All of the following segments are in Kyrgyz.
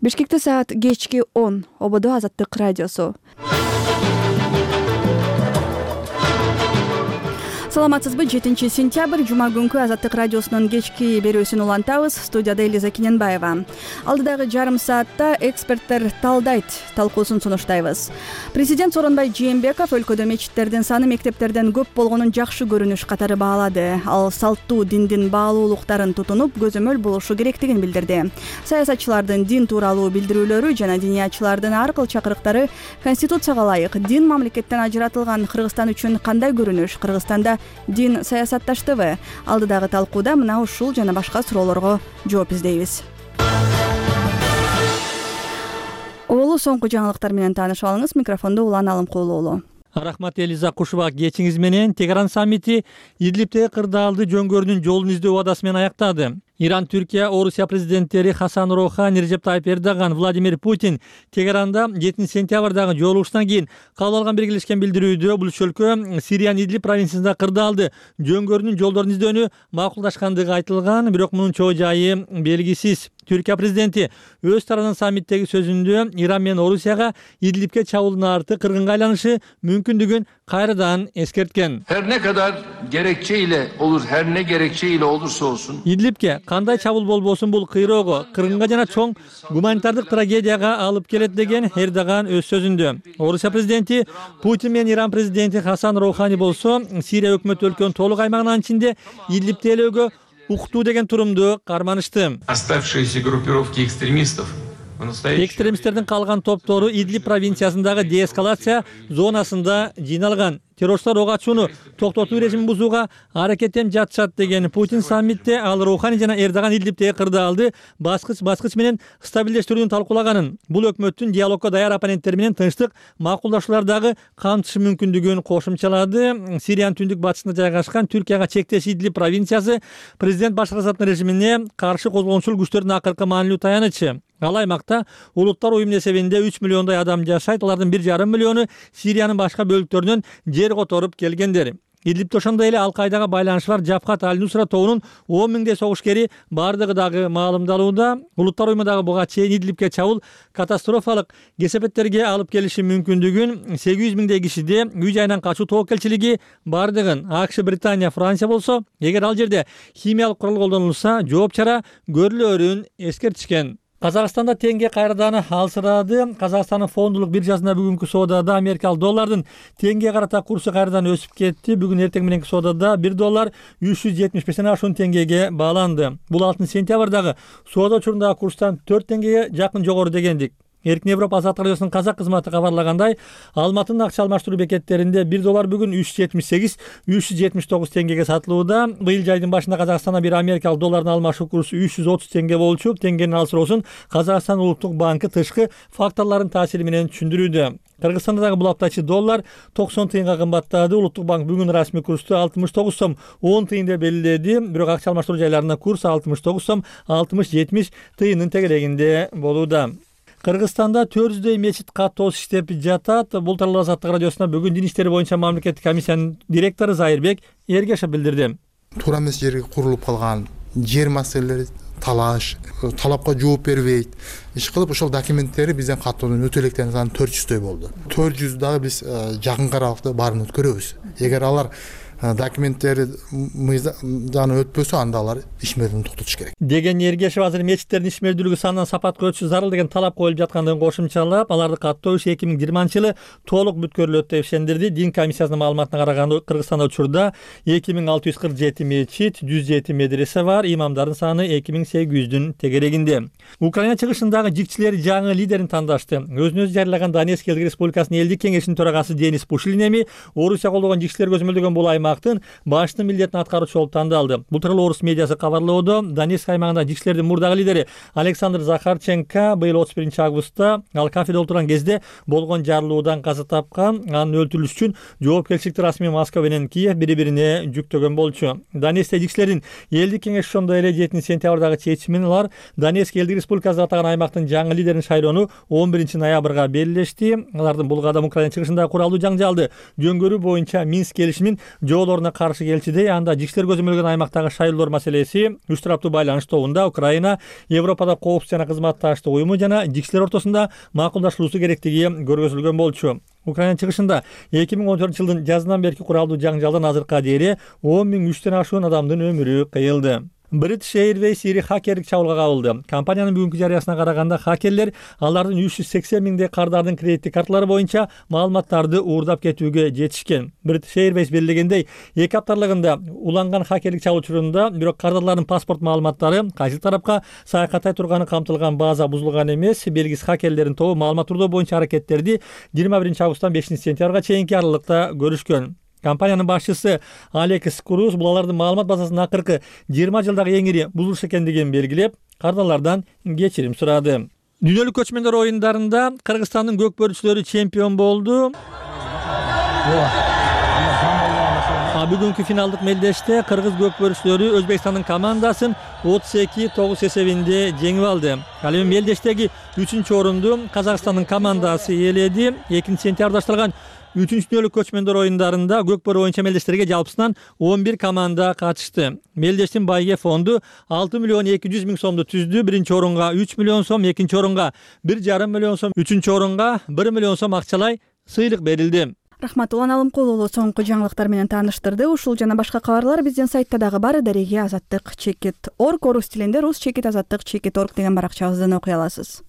Бишкекте саат кечки 10. ОБД Азаттык радиосу. Саламатсызбы? 7 сентябрь жума күнкү Азаттык радиосунун кечки берүүсүн улантабыз. Студияда Элиза Кененбаева. Алдыдагы жарым саатта эксперттер талдайт талкуусун сунуштайбыз. Президент Сооронбай Жээнбеков өлкөдө мечиттердин саны мектептерден көп болгонун жакшы көрүнүш катары баалады. Ал салттуу диндин баалуулуктарын тутунуп, көзөмөл болушу керектигин билдирди. Саясатчылардын дин тууралуу билдирүүлөрү жана диниячылардын ар кыл чакырыктары Конституцияга ылайык дин мамлекеттен ажыратылган Кыргызстан үчүн кандай көрүнүш? Кыргызстанда дин саясатташтыбы? Алдыдагы талкууда мына ушул жана башка суроолорго жооп издейбиз. Олу соңку жаңылыктар менен таанышып алыңыз. Микрофондо Улан Алымкулуулу. Рахмат Элиза, кушубак кечиңиз менен. Тегеран саммити Идлибтеги кырдаалды жөнгөрүүнүн жолун издөө убадасы менен аяктады. Иран, Түркия, Орусия президенттери Хасан Роухани, Режеп Тайип Эрдоган, Владимир Путин Тегеранда 7 сентябрдагы жолугушуудан кийин кабыл алган биргелешкен билдирүүдө бул үч өлкө Сириянын Идлиб провинциясында кырдаалды жөнгөрүүнүн жолдорун издөөнү макулдашкандыгы айтылган, бирок мунун чоо жайы белгисиз. Түркия президенти өз тарабынан саммиттеги сөзүндө Иран менен Орусияга Идлибке чабуулдун арты кыргынга айланышы мүмкүндүгүн кайрадан эскерткен. Her ne kadar gerekçeyle olur, her ne gerekçeyle olursa olsun. Идлибке кандай чабуул болбосун бул кыйроого, кыргынга жана чоң гуманитардык трагедияга алып келет деген Эрдоган өз сөзүндө. Орусия президенти Путин менен Иран президенти Хасан Роухани болсо Сирия өкмөтү өлкөнүн толук аймагынын ичинде Идлибти ээлөөгө уктуу деген турумду карманышты. Оставшиеся группировки экстремистов. Экстремисттердин калган топтору Идлиб провинциясындагы деэскалация зонасында жыйналган. Террористтер ок ачууну токтотуу режимин бузууга аракеттенип жатышат деген Путин саммитте ал Роухани жана Эрдоган Идлибтеги кырдаалды баскыч менен стабилдештирүүнү талкуулаганын, бул өкмөттүн диалогко даяр оппоненттери менен тынчтык макулдашуулардагы камтышы мүмкүндүгүн кошумчалады. Сириянын түндүк батышында жайгашкан Түркияга чектеш Идлиб провинциясы президент Башар Асаддын режимине каршы козголгончул күчтөрдүн акыркы маанилүү таянычы. Ал аймакта улуттар уюмунун эсебинде 3 миллиондой адам жашайт. Алардын 1,5 миллиону Сириянын башка бөлүктөрүнөн жер которуп келгендер. Идлибте ошондой эле Ал-Кайдага байланышы бар Жабхат Аль-Нусра тобунун 10 миңдей согушкери бардыгы дагы маалымдалууда. Улуттар уюмундагы буга чейин Идлибке чабуул катастрофалык кесепеттерге алып келиши мүмкүндүгүн, 800 миңдей кишиде үй жайынан качуу тобокелчилиги бардыгын АКШ, Британия, Франция болсо, эгер ал жерде химиялык курал колдонулса, жооп чара көрүлөрүн эскертишкен. Казакстанда теңге кайрадан алсырады. Казакстандын фондулук биржасында бүгүнкү соодада америкалык доллардын теңгеге карата курсу кайрадан өсүп кетти. Бүгүн эртең мененки соодада 1 доллар 375 ашуун теңгеге бааланды. Бул 6 сентябрдагы соода учурундагы курстан 4 теңгеге жакын жогору дегендик. Эркин Европа Азаттык радиосунун казак кызматы кабарлагандай, Алматынын акча алмаштыруу бекеттеринде 1 доллар бүгүн 378-379 теңгеге сатылууда. Быйыл жайдын башында Казакстанда бир америкалык доллардын алмашуу курсу 330 теңге болчу. Теңгенин алсыроосун Казакстан Улуттук банкы тышкы факторлордун таасири менен түшүндүрүүдө. Кыргызстанда дагы бул аптачы доллар 90 тыйынга кымбаттады. Улуттук банк бүгүн расмий курсту 69 сом 10 тыйын деп белгиледи. Бирок акча алмаштыруу жайларында курс 69 сом 60-70 тыйынын тегерегинде болууда. Кыргызстанда 400дөй мечит каттоосуз иштеп жатат. Бул тууралуу Азаттык радиосуна бүгүн дин иштери боюнча мамлекеттик комиссиянын директору Зайырбек Эргешев билдирди. Туура эмес жерге курулуп калган жер маселелери талаш, талапка жооп бербейт. Иш кылып ошол документтери бизден каттоонун өтө электеринин саны 400дөй болду. 400 дагы биз жакын аралыкта баарын өткөрөбүз. Эгер алар документтери мыйзамдан өтпөсө, анда алар ишмердүүлүгүн токтотуш керек деген Эргешев азыр мечиттердин ишмердүүлүгү сандан сапатка өтүшү зарыл деген талап коюлуп жаткандыгын кошумчалап, аларды каттоо иши 2020-жылы толук бүткөрүлөт деп ишендирди. Дин комиссиясынын маалыматына караганда Кыргызстанда учурда 2647 мечит, 107 медресе бар, имамдардын саны 2800дүн тегерегинде. Украина чыгышындагы жикчилер жаңы лидерин тандашты. Өзүн өзү жарыялаган Донецк элдик республикасынын элдик кеңешинин төрагасы Денис Пушилин эми Орусия колдогон жикчилер көзөмөлдөгөн бул башчы милдетин аткаруучу болуп тандалды. Бул тууралуу орус медиасы кабарлоодо. Донецк аймагында жикчилердин мурдагы лидери Александр Захарченко быйыл 31-августта ал кафеде отурган кезде болгон жарылуудан каза тапкан. Анын өлтүрүлүшү үчүн жоопкерчиликти расмий Москва менен Киев бири-бирине жүктөгөн болчу. Донецкте жикчилердин элдик кеңеши ошондой эле 7 сентябрдагы чечимин алар Донецк элдик республикасы атаган аймактын жаңы лидерин шайлоону 11-ноябрга белгилешти. Алардын бул кадам Украина чыгышындагы куралдуу жаңжалды жөнгөрүү боюнча Минск келишимин жоолоруна каршы келчүдөй, анда жиштер көзөмөлгөн аймактагы шайлоолор маселеси, үч тараптуу байланыш тобунда Украина, Европада коопсуз жана кызматташтык уюму жана жиштер ортосунда макулдашылуусу керектиги көргөзүлгөн болчу. Украина чыгышында 2014-жылдын жазынан берки куралдуу жаңжалдан азыркыга чейин 10.000 ашуун адамдын өмүрү кыйылды. British Airways ири хакерлик чабуулга кабылды. Компаниянын бүгүнкү жарыясына караганда хакерлер алардын 380 миңдей кардардын кредиттик карталары боюнча маалыматтарды уурдап кетүүгө жетишкен. British Airways белгилегендей, 2 апталыгында уланган хакерлик чабуул учурунда бирок кардарлардын паспорт маалыматтары кайсы тарапка саякаттай турганы камтылган база бузулган эмес. Белгисиз хакерлердин тобу маалымат уурдоо боюнча аракеттерди 21-августтан 5-сентябрга чейинки аралыкта көрүшкөн. Компаниянын башчысы Алекс Круз бул алардын маалымат базасынын акыркы 20 жылдагы эң ири бузулуш экендигин белгилеп, кардарлардан кечирим сурады. Дүйнөлүк көчмөндөр оюндарында Кыргызстандын көкбөрүчүлөрү чемпион болду. Бүгүнкү финалдык мелдеште кыргыз көкбөрүчүлөрү Өзбекстандын командасын 32-9 эсебинде жеңип алды. Ал эми мелдештеги 3-орунду Казакстандын командасы ээледи. 2-сентябрда башталган 3-дүйнөлүк көчмөндөр оюндарында көкбөрү боюнча мелдештерге жалпысынан 11 команда катышты. Мелдештин байге фонду 6 миллион 200 миң сомду түздү. 1-орунга 3 миллион сом, 2-орунга 1,5 миллион сом, 3-орунга 1 миллион сом акчалай сыйлык берилди. Рахмат, Улан Алымкулуу соңку жаңылыктар менен тааныштырды. Ушул жана башка кабарлар биздин сайтта дагы бар. Дареги Азаттык /org, орус тилинде rus/azаттык /org деген баракчабыздан окуй аласыз.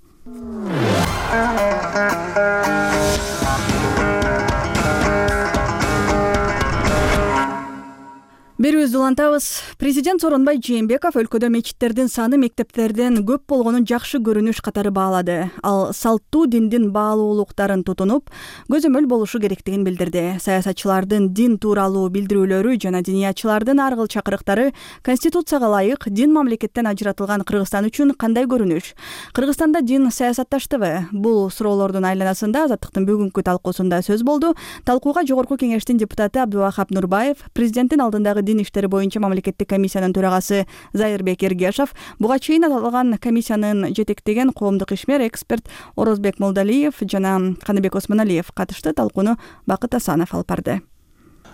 Берүүбүздү улантабыз. Президент Сооронбай Жээнбеков өлкөдө мечиттердин саны мектептерден көп болгонун жакшы көрүнүш катары баалады. Ал салттуу диндин баалуулуктарын тутунуп, көзөмөл болушу керектигин билдирди. Саясатчылардын дин тууралуу билдирүүлөрү жана диниятчылардын ар кыл чакырыктары Конституцияга ылайык дин мамлекеттен ажыратылган Кыргызстан үчүн кандай көрүнүш? Кыргызстанда дин саясатташтыбы? Бул суроолордун айланасында Азаттыктын бүгүнкү талкуусунда сөз болду. Талкууга Жогорку Кеңештин депутаты Абдубахап Нурбаев, президенттин алдындагы дин иштери боюнча мамлекеттик комиссиянын төрагасы Зайырбек Эргешов, буга чейин аталган комиссиянын жетектеген коомдук ишмер эксперт Орозбек Молдалиев жана Каныбек Осмоналиев катышты. Талкууну Бакыт Асанов алып барды.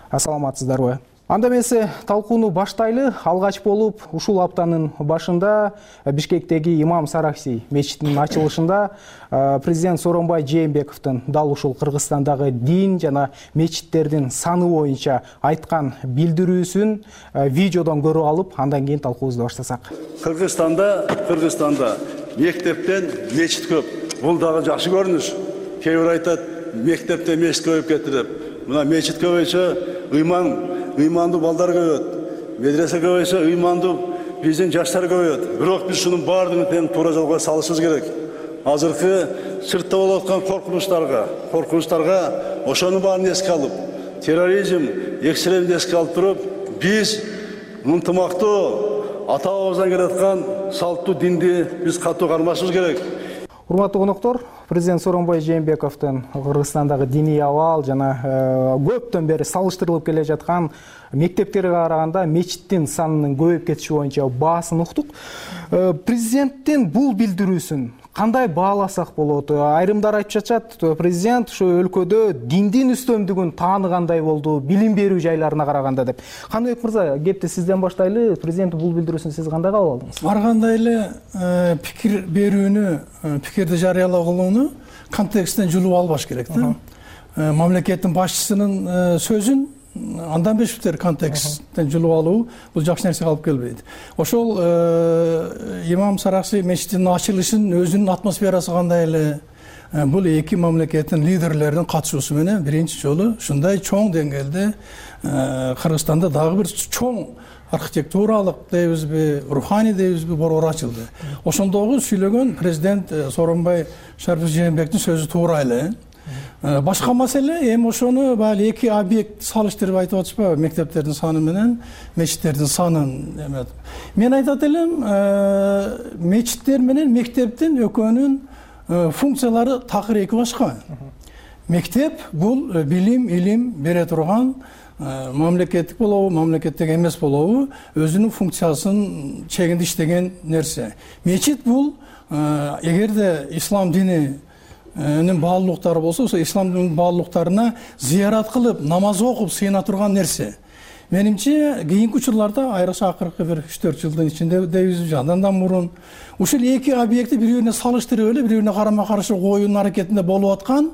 Ассаламатсыздарбы? Анда эмесе талкууну баштайлы. Алгач болуп ушул аптанын башында Бишкектеги Имам Саракси мечитинин ачылышында президент Сооронбай Жээнбековдун дал ушул Кыргызстандагы дин жана мечиттердин саны боюнча айткан билдирүүсүн видеодон көрүп алып, андан кийин талкуубузду баштасак. Кыргызстанда мектептен мечит көп. Бул дагы жакшы көрүнүш. Кээ бир айтат, мектептен мечит көбөйүп кетти деп. Мына мечит көбөйсө, ыймандуу балдар көбөйөт. Медресе көбөйсө, ыймандуу биздин жаштар көбөйөт. Бирок биз шунун баардыгын туура жолго салышыбыз керек. Азыркы сыртта болуп аткан коркунучтарга ошонун баарын эске алып, терроризм, экстремизмди эске алып туруп, биз ынтымактуу ата-бабабыздан келаткан салттуу динди биз катуу кармашыбыз керек. Урматтуу коноктор, президент Сооронбай Жээнбековдун Кыргызстандагы диний абал жана көптөн бери салыштырылып келе жаткан мектептерге караганда мечиттин санынын көбөйүп кетиши боюнча баасын уктук. Президенттин бул билдирүүсүн кандай бааласак болот? Айрымдар айтып жатат, президент ушу өлкөдө диндин үстөмдүгүн тааныгандай болду, билим берүү жайларына караганда деп. Каныбек мырза, кепти сизден баштайлы. Президент бул билдирүүсүн сиз кандай кабыл алдыңыз? Ар кандай эле пикир берүүнү, пикирди жарыялагылууну контексттен жулуп албаш керек да. Мамлекеттин башчысынын сөзүн андан бешиптер контексттен жулуп алуу бул жакшы нерсеге алып келбейт. Ошол Имам Саракси мечитинин ачылышын өзүнүн атмосферасы кандай эле, бул эки мамлекеттин лидерлеринин катышуусу менен биринчи жолу ушундай чоң деңгээлде Кыргызстанда дагы бир чоң архитектуралык дейбизби, руханий дейбизби борбор ачылды. Ошондогу сүйлөгөн президент Сооронбай Жээнбековдун сөзү туура эле. Башка маселе эми ошону баягы эки объект салыштырып айтып атышпайбы, мектептердин саны менен мечиттердин санын. Мен айтат элем, мечиттер менен мектептин экөөнүн функциялары такыр эки башка. Мектеп бул билим, илим бере турган мамлекеттик болобу, мамлекеттик эмес болобу, өзүнүн функциясын чегинде иштеген нерсе. Мечит бул эгерде ислам дининин баалуулуктары болсо, ошо исламдын баалуулуктарына зыярат кылып, намаз окуп сыйына турган нерсе. Менимче кийинки учурларда айрыкча акыркы бир 3-4 жылдын ичинде дейбиз, андан да мурун ушул эки объектти бири-бирине салыштырып эле бири-бирине карама-каршы оюн аракетинде болуп аткан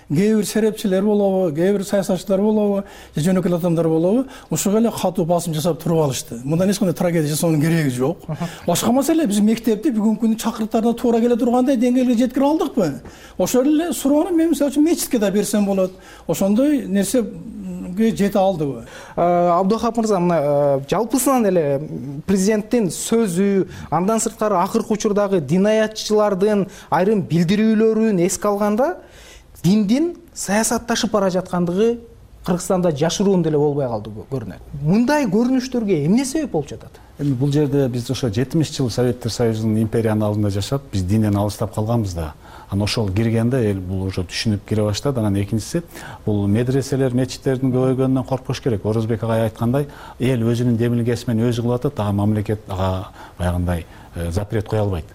кээ бир серепчилер болобу, кээ бир саясатчылар болобу, же жөнөкөй адамдар болобу, ушуга эле катуу басым жасап туруп алышты. Мындан эч кандай трагедия жасоонун кереги жок. Башка маселе биз мектепти бүгүнкү күндүн чакырыктарына туура келе тургандай деңгээлге жеткире алдыкпы? Ошол эле суроону мен мисалы үчүн мечитке да берсем болот. Ошондой нерсеге жете алдыбы? Абдухап мырза, мына жалпысынан эле президенттин сөзү, андан сырткары акыркы учурдагы динаятчылардын айрым билдирүүлөрүн эске алганда диндин саясатташып бара жаткандыгы Кыргызстанда жашыруун деле болбой калды көрүнөт. Мындай көрүнүштөргө эмне себеп болуп жатат? Эми бул жерде биз ошо 70 жыл Советтер Союзунун империянын алдында жашап, биз динден алыстап калганбыз да. Анан ошол киргенде эл бул уже түшүнүп кире баштады. Анан экинчиси, бул медреселер, мечиттердин көбөйгөнүнөн коркпош керек. Орозбек агай айткандай, эл өзүнүн демилгеси менен өзү кылып атат, ага мамлекет ага баягындай запрет кое албайт.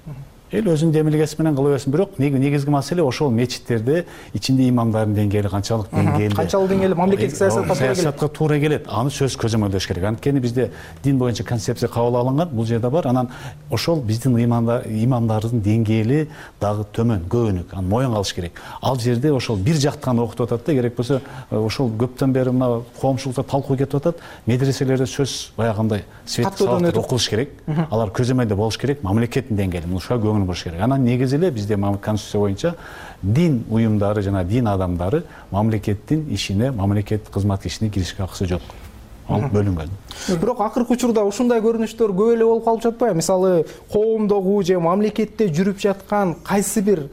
Эл өзүнүн демилгеси менен кыла берсин. Бирок негизги маселе ошол мечиттерде ичинде имамдардын деңгээли канчалык деңгээлде. Канчалык деңгээлде мамлекеттик саясатка туура келет. Аны сөз көзөмөлдөш керек. Анткени бизде дин боюнча концепция кабыл алынган, бул жерде бар. Анан ошол биздин имамдардын деңгээли дагы төмөн, көбүнүк. Аны моюнга алыш керек. Ал жерде ошол бир жактан окутуп атат да, керек болсо ошол көптөн бери мына коомчулукта талкуу кетип атат. Медреселерде сөз баягындай свет салат окулуш керек. Алар көзөмөлдө болуш керек. Мамлекеттин деңгээли. Муну болуш керек. Анан негизи эле бизде конституция боюнча дин уюмдары жана дин адамдары мамлекеттин ишине, мамлекет кызмат ишине киришке акысы жок. Ал бөлүнгөн. Бирок акыркы учурда ушундай көрүнүштөр көп эле болуп калып жатпайбы? Мисалы, коомдогу же мамлекетте жүрүп жаткан кайсы бир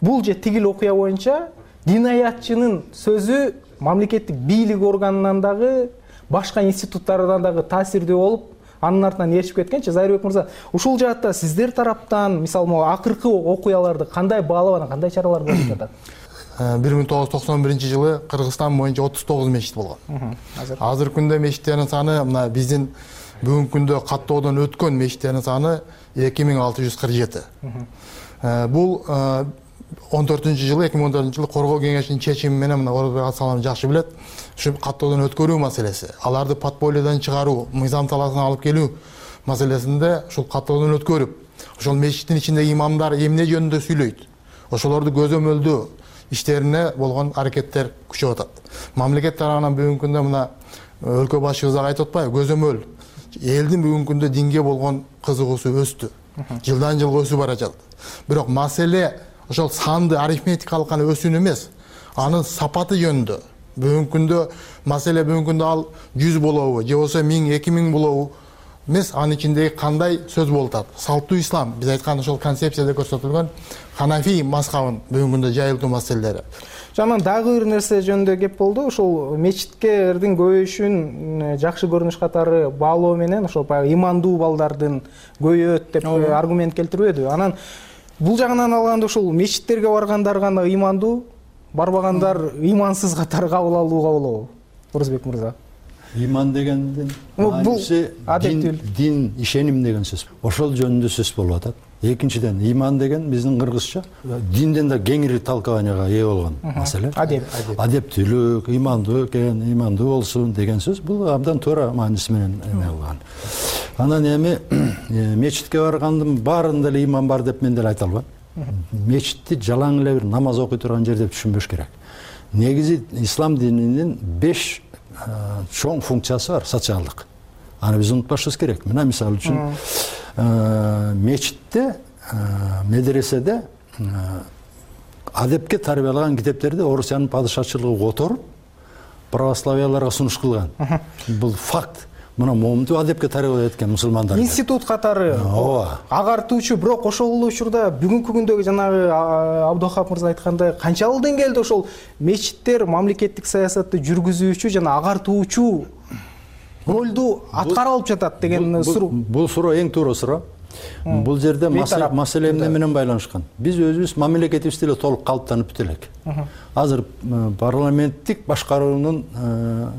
бул же тигил окуя боюнча динаятчынын сөзү мамлекеттик бийлик органынан дагы башка институттардан дагы таасирдүү болуп анын артынан ээрчип кеткенчи. Зайырбек мырза, ушул жаатта сиздер тараптан мисалы могу акыркы окуяларды кандай баалап анан кандай чаралар көрүлүп жатат? 1991-жылы Кыргызстан боюнча 39 мечит болгон. Азыркы күндө мечиттердин саны мына биздин бүгүнкү күндө каттоодон өткөн мечиттердин саны 2647. Бул 2014-жылы Коргоо кеңешинин чечими менен мына Орозбек Асалам жакшы билет. Ушу каттоодон өткөрүү маселеси, аларды подпольеден чыгаруу, мыйзам талаасына алып келүү маселесинде ушул каттоодон өткөрүп, ошол мечиттин ичиндеги имамдар эмне жөнүндө сүйлөйт, ошолорду көзөмөлдөө иштерине болгон аракеттер күчөп атат. Мамлекет тарабынан бүгүнкү күндө мына өлкө башчыбыз айтып атпайбы, көзөмөл элдин бүгүнкү күндө динге болгон кызыгуусу өстү. Жылдан жылга өсүп бара жатат. Бирок маселе ошол санды арифметикалык гана өсүүнү эмес, анын сапаты жөнүндө. Бүгүнкү күндө маселе бүгүнкү күндө ал 100 болобу, же болсо 1000, 2000 болобу эмес, анын ичиндеги кандай сөз болуп атат. Салттуу ислам, биз айткан ошол концепцияда көрсөтүлгөн ханафи мазхабын бүгүнкү күндө жайылтуу маселелери. Жанан дагы бир нерсе жөнүндө кеп болду. Ошол мечиттердин көбөйүшүн жакшы көрүнүш катары баалоо менен ошол баягы имандуу балдардын көбөйөт деп аргумент келтирбедиби? Анан бул жагынан алганда ошол мечиттерге баргандар гана имандуу, барбагандар имансыз катары кабыл алууга болобу? Орозбек мырза. Иман дегендин мааниси дин, ишеним деген сөз. Ошол жөнүндө сөз болуп атат. Экинчиден, иман деген биздин кыргызча динден да кеңири толкованияга ээ болгон маселе. Адептүүлүк, имандуу экен, имандуу болсун деген сөз. Бул абдан туура мааниси менен эме кылган. Анан эми мечитке баргандын баарында эле иман бар деп мен деле айта албайм. Мечитти жалаң эле бир намаз окуй турган жер деп түшүнбөш керек. Негизи ислам дининин 5 чоң функциясы бар, социалдык. Аны биз унутпашыбыз керек. Мына мисалы үчүн мечитте, медреседе адепке тарбиялаган китептерди Орусиянын падышачылыгы которуп, православияларга сунуш кылган. Бул факт. Мына момунту адепке тарбиялап эткен мусулмандар. Институт катары агартуучу, бирок ошол учурда бүгүнкү күндөгү жанагы Абдухап мырза айткандай канчалык деңгээлде ошол мечиттер мамлекеттик саясатты жүргүзүүчү жана агартуучу ролду аткара алып жатат деген суроо. Бул суроо эң туура суроо. Бул жерде маселе эмне менен байланышкан? Биз өзүбүз мамлекетибизди эле толук калыптанып бүтө элек. Азыр парламенттик башкаруунун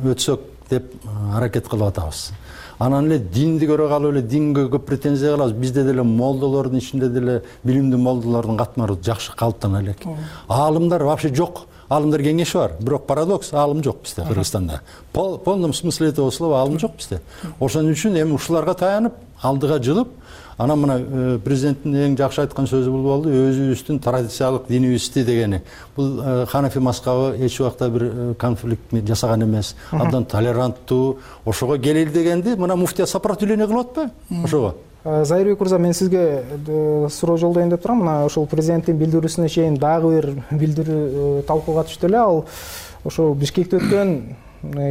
өтсөк деп аракет кылып атабыз. Анан эле динди көрө калып эле динге көп претензия кылабыз. Бизде деле молдолордун ичинде деле билимдүү молдолордун катмары жакшы калыптана элек. Аалымдар вообще жок. аалымдар кеңеши бар, бирок парадокс, аалым жок бизде Кыргызстанда. В полном смысле этого слова аалым жок бизде. Ошон үчүн эми ушуларга таянып, алдыга жылып, анан мына президенттин эң жакшы айткан сөзү бул болду, өзүбүздүн традициялык динибизди дегени. Бул ханафи мазхабы эч убакта бир конфликт жасаган эмес, абдан толеранттуу, ошого келели дегенди мына муфтия сопротивление кылып атпайбы ошого? Зайырбек мырза, мен сизге суроо жолдоюн деп турам. Мына ошол президенттин билдирүүсүнө чейин дагы бир билдирүү талкууга түштү эле. Ал ошол Бишкекте өткөн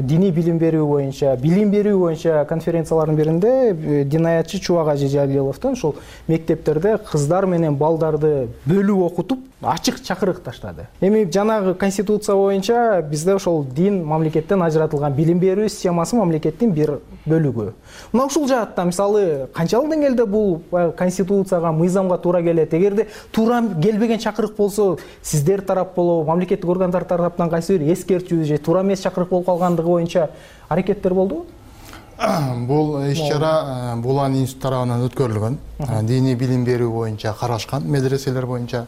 диний билим берүү боюнча конференциялардын биринде динаятчы Чубак Ажи Жалиловдун ошол мектептерде кыздар менен балдарды бөлүп окутуп ачык чакырык таштады. Эми жанагы конституция боюнча бизде ошол дин мамлекеттен ажыратылган, билим берүү системасы мамлекеттин бир бөлүгү. Мына ушул жаатта мисалы канчалык деңгээлде бул конституцияга, мыйзамга туура келет? Эгерде туура келбеген чакырык болсо, сиздер тарап болобу, мамлекеттик органдар тараптан кайсы бир эскертүү же туура эмес чакырык болуп калгандыгы боюнча аракеттер болдубу? Бул иш-чара Булан институту тарабынан өткөрүлгөн. Диний билим берүү боюнча карашкан медреселер боюнча.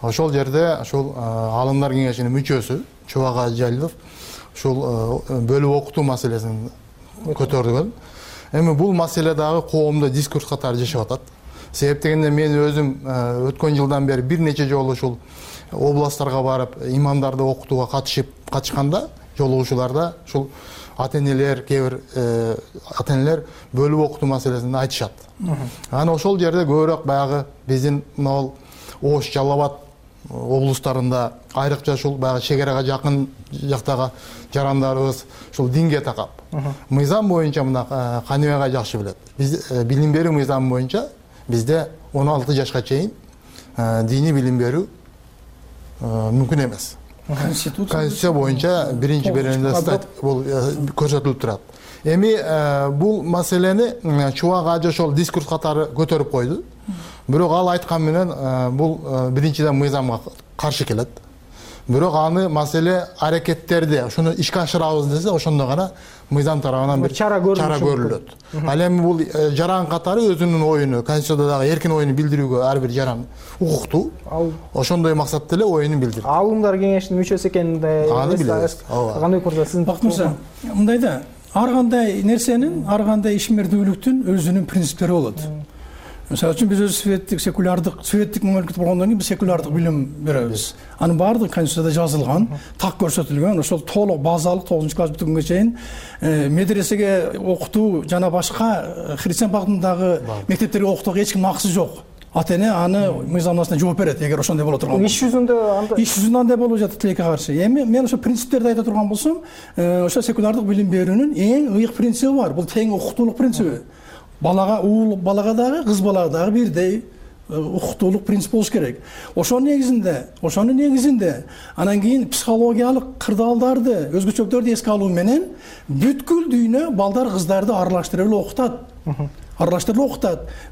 Ошол жерде ошол аалымдар кеңешинин мүчөсү Чубак Ажи Жалилов ушул бөлүп окутуу маселесин көтөрдүгөн. Эми бул маселе дагы коомдо дискурс катары жашап атат. Себеп дегенде мен өзүм өткөн жылдан бери бир нече жолу ушул областтарга барып имамдарды окутууга катышканда, жолугушууларда ушул ата-энелер, кээ-бир ата-энелер бөлүп окутуу маселесин айтышат. Анан ошол жерде көбүрөөк баягы биздин могул Ош, Жалал Абад облустарында, айрыкча ушул баягы чегарага жакын жактагы жарандарыбыз ушул динге такап. Мыйзам боюнча мына Каныбек жакшы билет. Биз билим берүү мыйзамы боюнча бизде 16 жашка чейин диний билим берүү мүмкүн эмес. Конституция боюнча биринчи беренеде бул көрсөтүлүп турат. Эми бул маселени Чубак Ажи ошол дискурс катары көтөрүп койду. Бирок ал айткан менен бул биринчиден мыйзамга каршы келет. Бирок аны маселе аракеттерди ошону ишке ашырабыз десе, ошондо гана мыйзам тарабынан бир чара көрүлөт. Ал эми бул жаран катары өзүнүн оюну, конституциядагы эркин оюну билдирүүгө ар бир жаран укуктуу. Ошондой максатта эле оюну билдирди. Аалымдар кеңешинин мүчөсү экенин аны билебиз. Каныбек мырза, сиздин бактыңыздар, мындай да, ар кандай нерсенин, ар кандай ишмердүүлүктүн өзүнүн принциптери болот. Мисалы үчүн биз өзү светтик мамлекет болгондон кийин биз секулярдык билим беребиз. Анын баардыгы конституцияда жазылган, так көрсөтүлгөн, ошол толук базалык 9-класс бүткөнгө чейин медресеге окутуу жана башка христиан багытындагы мектептерге окутууга эч ким максы жок. Ата-эне аны мыйзамдашына жооп берет, эгер ошондой боло турган болсо. Иш жүзүндө андай болуп жатат тилекке каршы. Эми мен ошо принциптерди айта турган болсом, ошо секулярдык билим берүүнүн эң ыйык принциби бар. Бул тең укуктуулук принциби. Балага дагы, кыз балага дагы бирдей укуктуулук принцип болуш керек. Ошонун негизинде анан кийин психологиялык кырдаалдарды, өзгөчөлүктөрдү эске алуу менен бүткүл дүйнө балдар кыздарды аралаштырып эле окутат.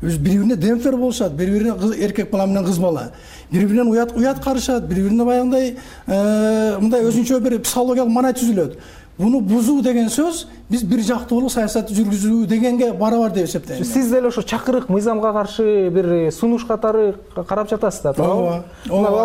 Бири-бирине демптер болушат, бири-бирине эркек бала менен кыз бала. Бири-биринен уят карышат, бири-бирине баягындай мындай өзүнчө бир психологиялык маанай түзүлөт. Буну бузуу деген сөз биз бир жактуулук саясатты жүргүзүү дегенге барабар деп эсептейм. Сиз деле ошо чакырык мыйзамга каршы бир сунуш катары карап жатасыз да, тоогу?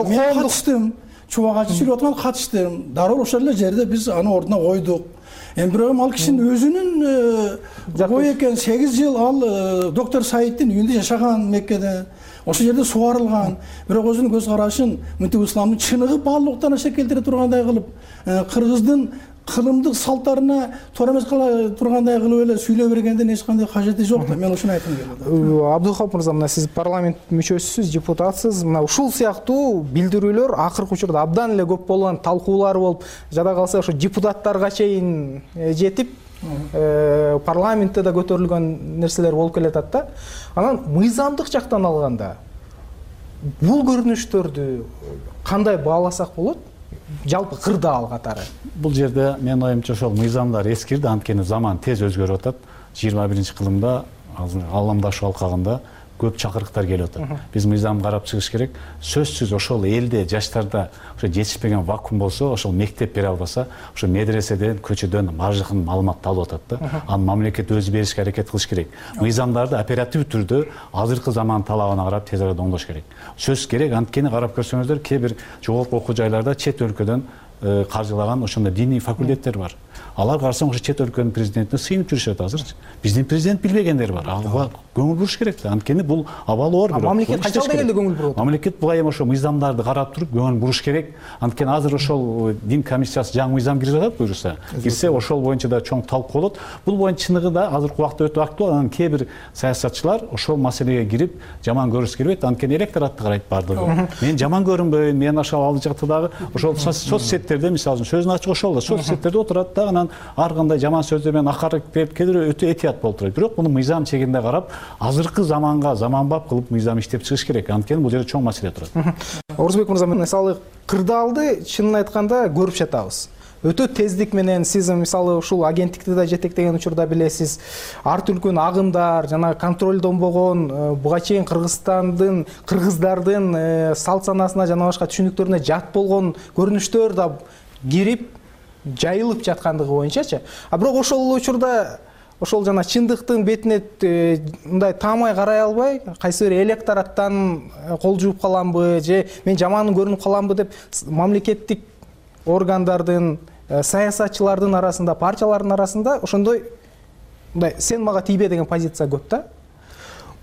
Мен катыштым. Чубак Ажи сүйлөп аткан катыштым. Дароо ошол эле жерде биз аны ордуна койдук. Эми бирок ал кишинин өзүнүн ой экен, 8 жыл ал доктор Саиддин үйүндө жашаган Меккеде. Ошол жерде сугарылган. Бирок өзүнүн көз карашын мынтип исламдын чыныгы баалуулуктан аша келтире тургандай кылып, кыргыздын кылымдык салттарына туура эмес кыла тургандай кылып эле сүйлөй бергенден эч кандай кажети жок да. Мен ошону айткым келет. Абдулхап мырза, мына сиз парламент мүчөсүсүз, депутатсыз. Мына ушул сыяктуу билдирүүлөр акыркы учурда абдан эле көп болгон, талкуулар болуп, жада калса ошо депутаттарга чейин жетип, парламентте да көтөрүлгөн нерселер болуп келатат да. Анан мыйзамдык жактан алганда бул көрүнүштөрдү кандай бааласак болот? Жалпы кырдаал катары. Бул жерде менин оюмча ошол мыйзамдар эскирди, анткени заман тез өзгөрүп атат. 21-кылымда Аламдашуу алкагында көп чакырыктар келип атат. Биз мыйзам карап чыгыш керек. Сөзсүз ошол элде, жаштарда ошо жетишпеген вакуум болсо, ошол мектеп бере албаса, ошо медреседен, көчөдөн баардыгын маалыматты алып атат да. Аны мамлекет өзү беришке аракет кылыш керек. Мыйзамдарды оператив түрдө азыркы заман талабына карап тез арада оңдош керек. Сөз керек, анткени карап көрсөңүздөр, кээ бир жогорку окуу жайларда чет өлкөдөн каржылаган ошондой диний факультеттер бар. Алар карасаң ошо чет өлкөнүн президентине сыйынып жүрүшөт азырчы. Биздин президент билбегендер бар. Ага көңүл буруш керек да. Анткени бул абалы оор бирок. Мамлекет качан дегенде көңүл бурат? Мамлекет буга эми ошо мыйзамдарды карап туруп көңүл буруш керек. Анткени азыр ошол дин комиссиясы жаңы мыйзам кирип жатат буюрса. Кирсе ошол боюнча да чоң талкуу болот. Бул боюнча чыныгы да азыркы убакта өтө актуал. Анан кээ бир саясатчылар ошол маселеге кирип жаман көрүшү келбейт. Анткени электоратты карайт бардыгы. Мен жаман көрүнбөйүн, мен ошол алды жакта дагы ошол соц сеттерде мисалы үчүн сөзүн ачык ошол да соц сеттерде отурат да анан ар кандай жаман сөздөр менен акарып келип өтө этият болуп турат. Бирок муну мыйзам чегинде карап, азыркы заманга заманбап кылып мыйзам иштеп чыгыш керек. Анткени бул жерде чоң маселе турат. Орузбек мырза, мисалы кырдаалды чынын айтканда көрүп жатабыз. Өтө тездик менен сиз мисалы ушул агенттикти да жетектеген учурда билесиз, ар түркүн агымдар жана контролдонбогон буга чейин кыргыздардын салт санасына жана башка түшүнүктөрүнө жат болгон көрүнүштөр да кирип жайылып жаткандыгы боюнчачы. Бирок ошол учурда ошол жана чындыктын бетине мындай таамай карай албай, кайсы бир электораттан кол жууп каламбы же мен жаман көрүнүп каламбы деп мамлекеттик органдардын, саясатчылардын арасында, партиялардын арасында ошондой мындай сен мага тийбе деген позиция көп да.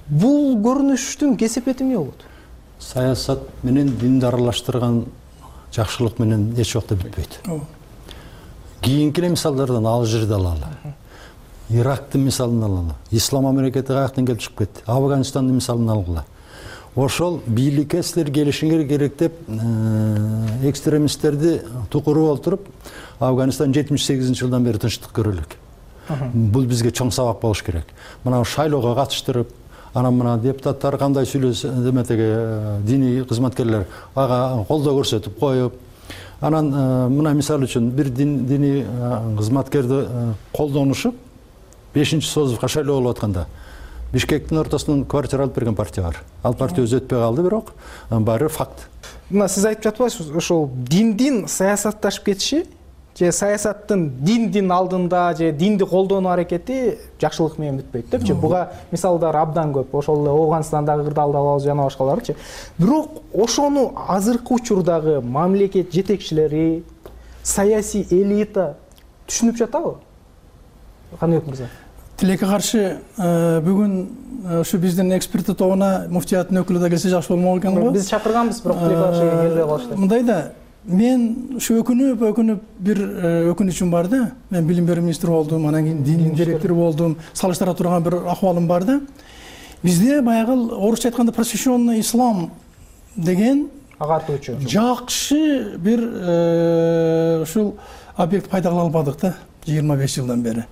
Бул көрүнүштүн кесепети эмне болот? Саясат менен динди аралаштырган жакшылык менен эч убакта бүтпөйт. Кийинки мисалдардан ал жерде алалы. Ирактын мисалын алалы. Ислам мамлекети каяктан келип чыгып кетти? Афганистандын мисалын алгыла. Ошол бийликке силер келишиңер керек деп экстремисттерди тукуруп олтуруп, Афганистан 78-жылдан бери тынчтык көрө элек. Бул бизге чоң сабак болуш керек. Мына шайлоого катыштырып, анан мына депутаттар кандай сүйлөсө, деметеге диний кызматкерлер ага колдоо көрсөтүп коюп, анан мына мисалы үчүн бир диний кызматкерди колдонушуп, 5-созувка шайлоо болуп атканда Бишкектин ортосунан квартира алып берген партия бар. Ал партия өзү өтпөй калды, бирок баары факт. Мына сиз айтып жатпайсыз, ошол диндин саясатташып кетиши же саясаттын диндин алдында же динди колдонуу аракети жакшылык менен бүтпөйт депчи. Буга мисалдар абдан көп. Ошол эле Ооганстандагы кырдаалды алабыз жана башкаларычы. Бирок ошону азыркы учурдагы мамлекет жетекчилери, саясий элита түшүнүп жатабы? Каныбек мырза. Тилекке каршы бүгүн ушу биздин эксперттер тобуна муфтияттын өкүлү да келсе жакшы болмок экен го. Биз чакырганбыз, бирок тилекке каршы келбей калышты. Мындай да, мен ушу өкүнүп бир өкүнүчүм бар да. Мен билим берүү министри болдум, анан кийин дин директору болдум. Салыштыра турган бир акыбалым бар да. Бизде баягы орусча айтканда просвещенный ислам деген агартуучу жакшы бир ушул объект пайда кыла албадык да 25 жылдан бери.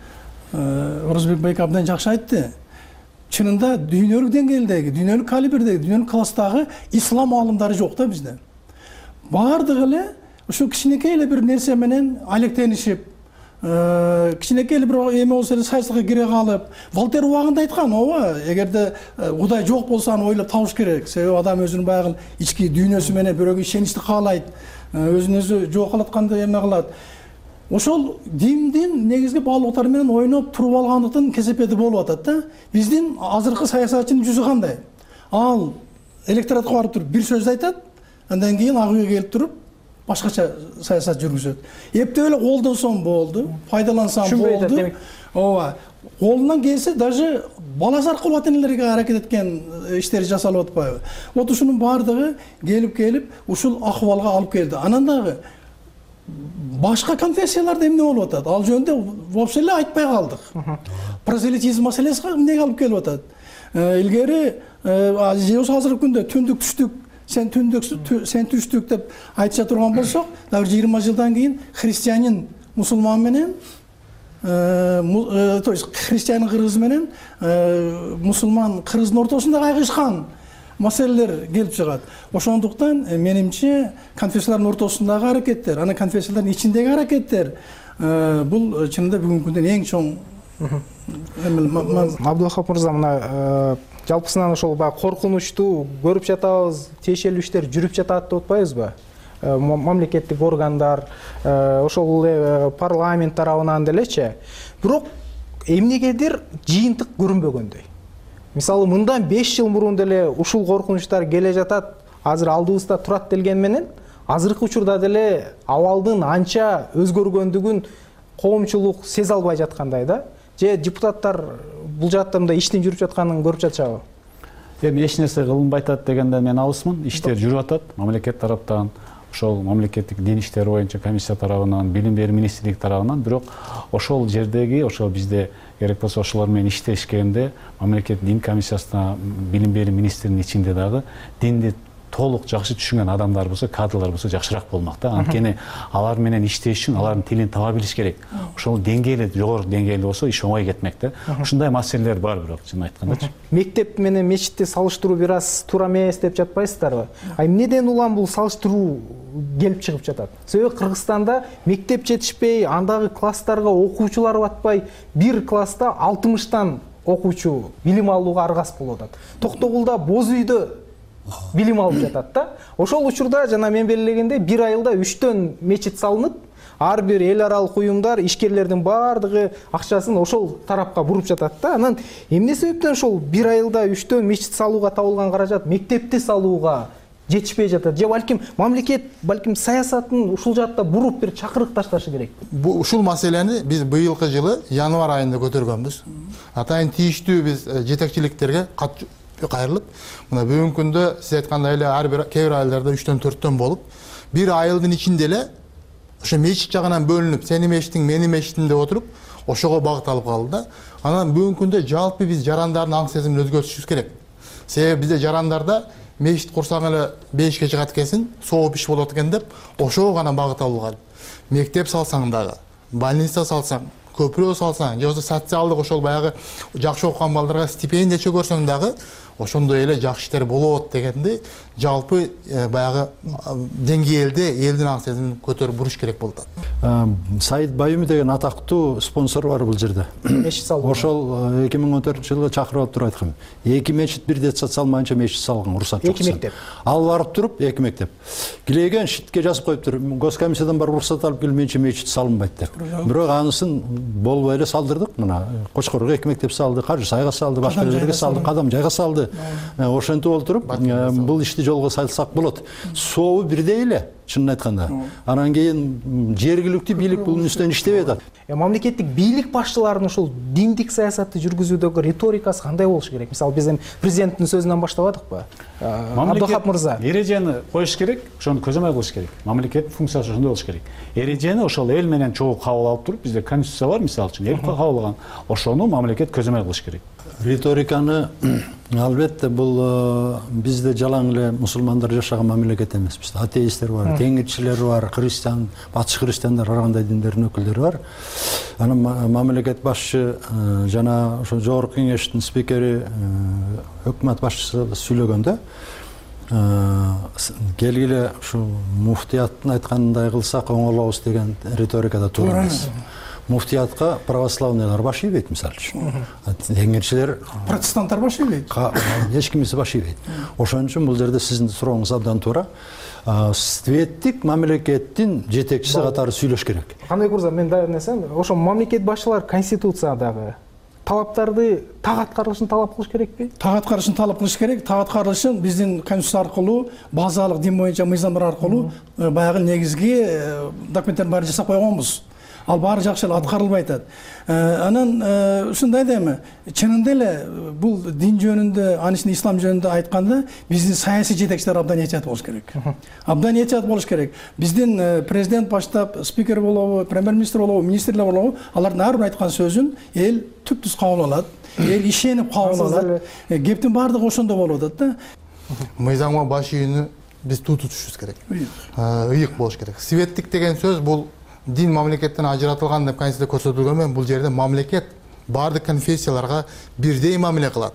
Орузбек байке абдан жакшы айтты. Чынында дүйнөлүк деңгээлдеги, дүйнөлүк калибрдеги, дүйнөлүк класстагы ислам аалымдары жок да бизде. Бардыгы эле ушу кичинекей эле бир нерсе менен алектенишип, кичинекей эле бир эме болсо эле саясатка кире калып, Волтер убагында айткан, ооба, эгерде Кудай жок болсо аны ойлоп табыш керек. Себеби адам өзүнүн баягы ички дүйнөсү менен бирөөгө ишеничти каалайт, өзүн өзү жок кылаткандай эме кылат. Ошол диндин негизги баалуулуктары менен ойноп туруп алгандыктын кесепети болуп атат да. Биздин азыркы саясатчынын жүзү кандай? Ал электоратка барып туруп бир сөз айтат, андан кийин ак үйгө келип туруп башкача саясат жүргүзөт. Эптеп эле колдонсом болду, пайдалансам болду. Ооба. Колунан келсе даже баласы аркылуу ата-энелерге аракет эткен иштери жасалып атпайбы? Вот ушунун баардыгы келип ушул акыбалга алып келди. Анан дагы башка конфессияларда эмне болуп атат? Ал жөнүндө вообще эле айтпай калдык. Прозелитизм маселеси эмнеге алып келип атат? Илгери азыркы күндө түндүк түштүк, сен түштүк деп айтыша турган болсок, дагы 20 жылдан кийин христианин мусулман менен, то есть христианин кыргыз менен мусулман кыргыздын ортосунда кайгышкан маселелер келип чыгат. Ошондуктан менимче конфессиялардын ортосундагы аракеттер, анан конфессиялардын ичиндеги аракеттер бул чынында бүгүнкү күндө эң чоң Абдулхак мырза, мына жалпысынан ошол баягы коркунучтуу көрүп жатабыз, тиешелүү иштер жүрүп жатат деп атпайбызбы? Мамлекеттик органдар, ошол эле парламент тарабынан делечи. Бирок эмнегедир жыйынтык көрүнбөгөндөй. Мисалы мындан 5 жыл мурун деле ушул коркунучтар келе жатат, азыр алдыбызда турат делген менен, азыркы учурда деле абалдын анча өзгөргөндүгүн коомчулук сезе албай жаткандай да, же депутаттар бул жакта мындай иштин жүрүп жатканын көрүп жатышабы? Эми эч нерсе кылынбай атат дегенде мен алысмын. Иштер жүрүп атат мамлекет тараптан, ошол мамлекеттик дин иштери боюнча комиссия тарабынан, билим берүү министрлиги тарабынан. Бирок ошол жердеги, ошол бизде керек болсо ошолор менен иштешкенде мамлекет дин комиссиясына, билим берүү министринин ичинде дагы динди толук жакшы түшүнгөн адамдар болсо, кадрлар болсо жакшыраак болмок да. Анткени алар менен иштеш үчүн алардын тилин таба билиш керек. Ошол деңгейли, жогору деңгээлде болсо иш оңой кетмек да. Ушундай маселелер бар, бирок чын айткандачы. Мектеп менен мечитти салыштыруу бир аз туура эмес деп жатпайсыздарбы? Эмнеден улам бул салыштыруу келип чыгып жатат? Себеби Кыргызстанда мектеп жетишпей, андагы класстарга окуучулар батпай, бир класста 60тан окуучу билим алууга аргас болуп атат. Токтогулда боз үйдө билим алып жатат да. Ошол учурда жана мен белгилегенде 1 айылда 3төн мечит салынып, ар бир эл аралык уюмдар, ишкерлердин баардыгы акчасын ошол тарапка буруп жатат да. Анан эмне себептен ошол 1 айылда 3төн мечит салууга табылган каражат мектепти салууга жетишпей жатат? Же балким мамлекет саясатын ушул жакта буруп бир чакырык ташташы керек? Ушул маселени биз быйылкы жылы январь айында көтөргөнбүз. Атайын тийиштүү биз жетекчиликтерге кат кайрылып, мына бүгүнкү күндө сиз айткандай эле ар бир кээ бир айылдарда 3төн 4төн болуп, бир айылдын ичинде эле ошо мечит жагынан бөлүнүп, сенин мечитиң, менин мечитим деп отуруп, ошого багыт алып калды да. Анан бүгүнкү күндө жалпы биз жарандардын аң сезимин өзгөртүшүбүз керек. Себеби бизде жарандарда мечит курсаң эле 5 чыгат экенсиң, сооп иш болот экен деп, ошого гана багыт алган. Мектеп салсаң дагы, больница салсаң, көпүрө салсаң, же болбосо социалдык ошол баягы жакшы окуган балдарга стипендия чөгөрсөң дагы ошондой эле жакшы иштер болот дегенди жалпы баягы деңгээлде элдин аң сезимин көтөрүп буруш керек болуп атат. Саид Баюми деген атактуу спонсор бар бул жерде. Мечит салуу. Ошол 2014-жылы чакырып алып туруп айткан. 2 мечит бир детсад салмайынча мечит салган, уруксат жок. 2 мектеп. Ал барып туруп 2 мектеп. Килеген шитке жазып коюптур. Госкомиссиядан барып уруксат алып келмейинче мечит салынбайт деп. Бирок анысын болбой эле салдырдык. Мына Кочкорго 2 мектеп салды, Каржы Сайга салды, башка жерлерге салды, Кадам Жайга салды. Ошентип олтуруп бул ишти жолго салсак болот. Сообу бирдей эле, чынын айтканда. Анан кийин жергиликтүү бийлик бунун үстүнөн иштебей атат. Мамлекеттик бийлик башчыларынын ушул диндик саясатты жүргүзүүдөгү риторикасы кандай болуш керек? Мисалы биз эми президенттин сөзүнөн баштабадыкпы? Абдыхап мырза. Эрежени коюш керек, ошону көзөмөл кылыш керек. Мамлекеттин функциясы ошондой болуш керек. Эрежени ошол эл менен чогуу кабыл алып туруп, бизде конституция бар, мисалы үчүн, эл кабыл алган. Ошону мамлекет көзөмөл кылыш керек. Риториканы албетте бул бизде жалаң эле мусулмандар жашаган мамлекет эмес. Бизде атеисттер бар, теңирчилер бар, христиан, батыш христиандар, ар кандай диндердин өкүлдөрү бар. Анан мамлекет башчы жана ошо жогорку кеңештин спикери, өкмөт башчысы сүйлөгөндө келгиле ушу муфтияттын айтканындай кылсак оңолобуз деген риторикада туура эмес. Муфтиятка православныйлар баш ийбейт, мисалы үчүн. Теңирчилер, протестанттар баш ийбейт. Эч кимиси баш ийбейт. Ошон үчүн бул жерде сиздин сурооңуз абдан туура. Светтик мамлекеттин жетекчиси катары сүйлөш керек. Кандай курса мен дайыр нерсем, ошо мамлекет башчылар конституциядагы талаптарды так аткарылышын талап кылыш керекпи? Так аткарылышын талап кылыш керек. Так аткарылышын биздин конституция аркылуу, базалык дин боюнча мыйзамдар аркылуу баягы негизги документтердин баарын жасап койгонбуз. Ал баары жакшы эле аткарылбай атат. Анан ушундай да эми чынында эле бул дин жөнүндө, анын ичинде ислам жөнүндө айтканда биздин саясий жетекчилер абдан этият болуш керек. Абдан этият болуш керек. Биздин президент баштап, спикер болобу, премьер-министр болобу, министрлер болобу, алардын ар бир айткан сөзүн эл түп-түз кабыл алат. Эл ишенип кабыл алат. Кептин баардыгы ошондо болуп атат да. Мыйзамга баш ийүүнү биз тутушубуз керек. Ыйык болуш керек. Светтик деген сөз бул дин мамлекеттен ажыратылган деп конституцияда көрсөтүлгөнмөн. Бул жерде мамлекет баардык конфессияларга бирдей мамиле кылат.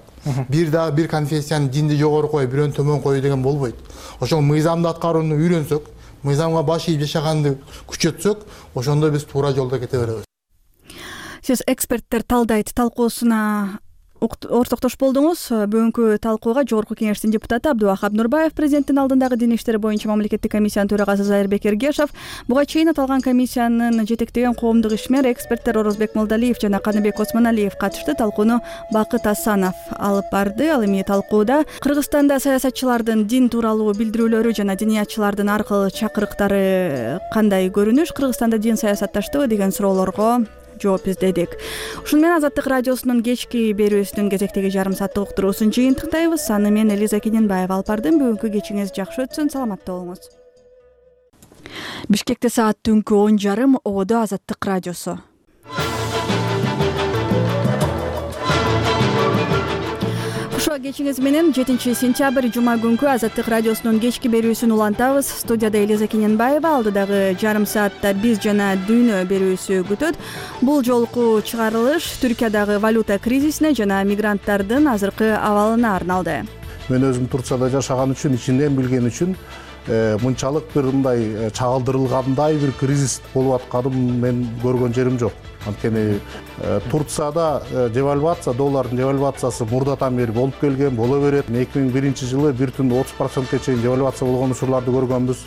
Бир конфессиянын динди жогору коюп, бирөөнү төмөн коюу деген болбойт. Ошол мыйзамды аткарууну үйрөнсөк, мыйзамга баш ийип жашаганды күчөтсөк, ошондо биз туура жолдо кете беребиз. Сиз эксперттер талдайт талкуусуна ортоктош болдуңуз. Бүгүнкү талкууга Жогорку Кеңештин депутаты Абдубахап Нурбаев, президенттин алдындагы дин иштери боюнча мамлекеттик комиссиянын төрагасы Зайырбек Эргешов, буга чейин аталган комиссиянын жетектеген коомдук ишмер эксперттер Орозбек Молдалиев жана Каныбек Осмоналиев катышты. Талкууну Бакыт Асанов алып барды. Ал эми талкууда Кыргызстанда саясатчылардын дин тууралуу билдирүүлөрү жана диниятчылардын аркылуу чакырыктары кандай көрүнүш, Кыргызстанда дин саясатташтыбы деген суроолорго жооп издедик. Ушуну менен Азаттык радиосунун кечки берүүсүнүн кезектеги жарым сааттык уктуруусун жыйынтыктайбыз. Аны мен Элиза Кененбаева алып бардым. Бүгүнкү кечиңиз жакшы өтсүн, саламатта болуңуз. Бишкекте саат түнкү 10:30, Ободо Азаттык радиосу. Ошо кечиңиз менен 7-сентябрь жума күнкү Азаттык радиосунун кечки берүүсүн улантабыз. Студияда Элиза Кененбаева, алдыдагы жарым саатта биз жана дүйнө берүүсү күтөт. Бул жолку чыгарылыш Түркиядагы валюта кризисине жана мигранттардын азыркы абалына арналды. Мен өзүм Турцияда жашаган үчүн, ичинен билген үчүн мынчалык бир мындай чагылдырылгандай бир кризис болуп атканын мен көргөн жерим жок. Анткени Турцияда девальвация, доллардын девальвациясы мурдатан бери болуп келген, боло берет. 2001 жылы 1,30%ке чейин девальвация болгон учурларды көргөнбүз.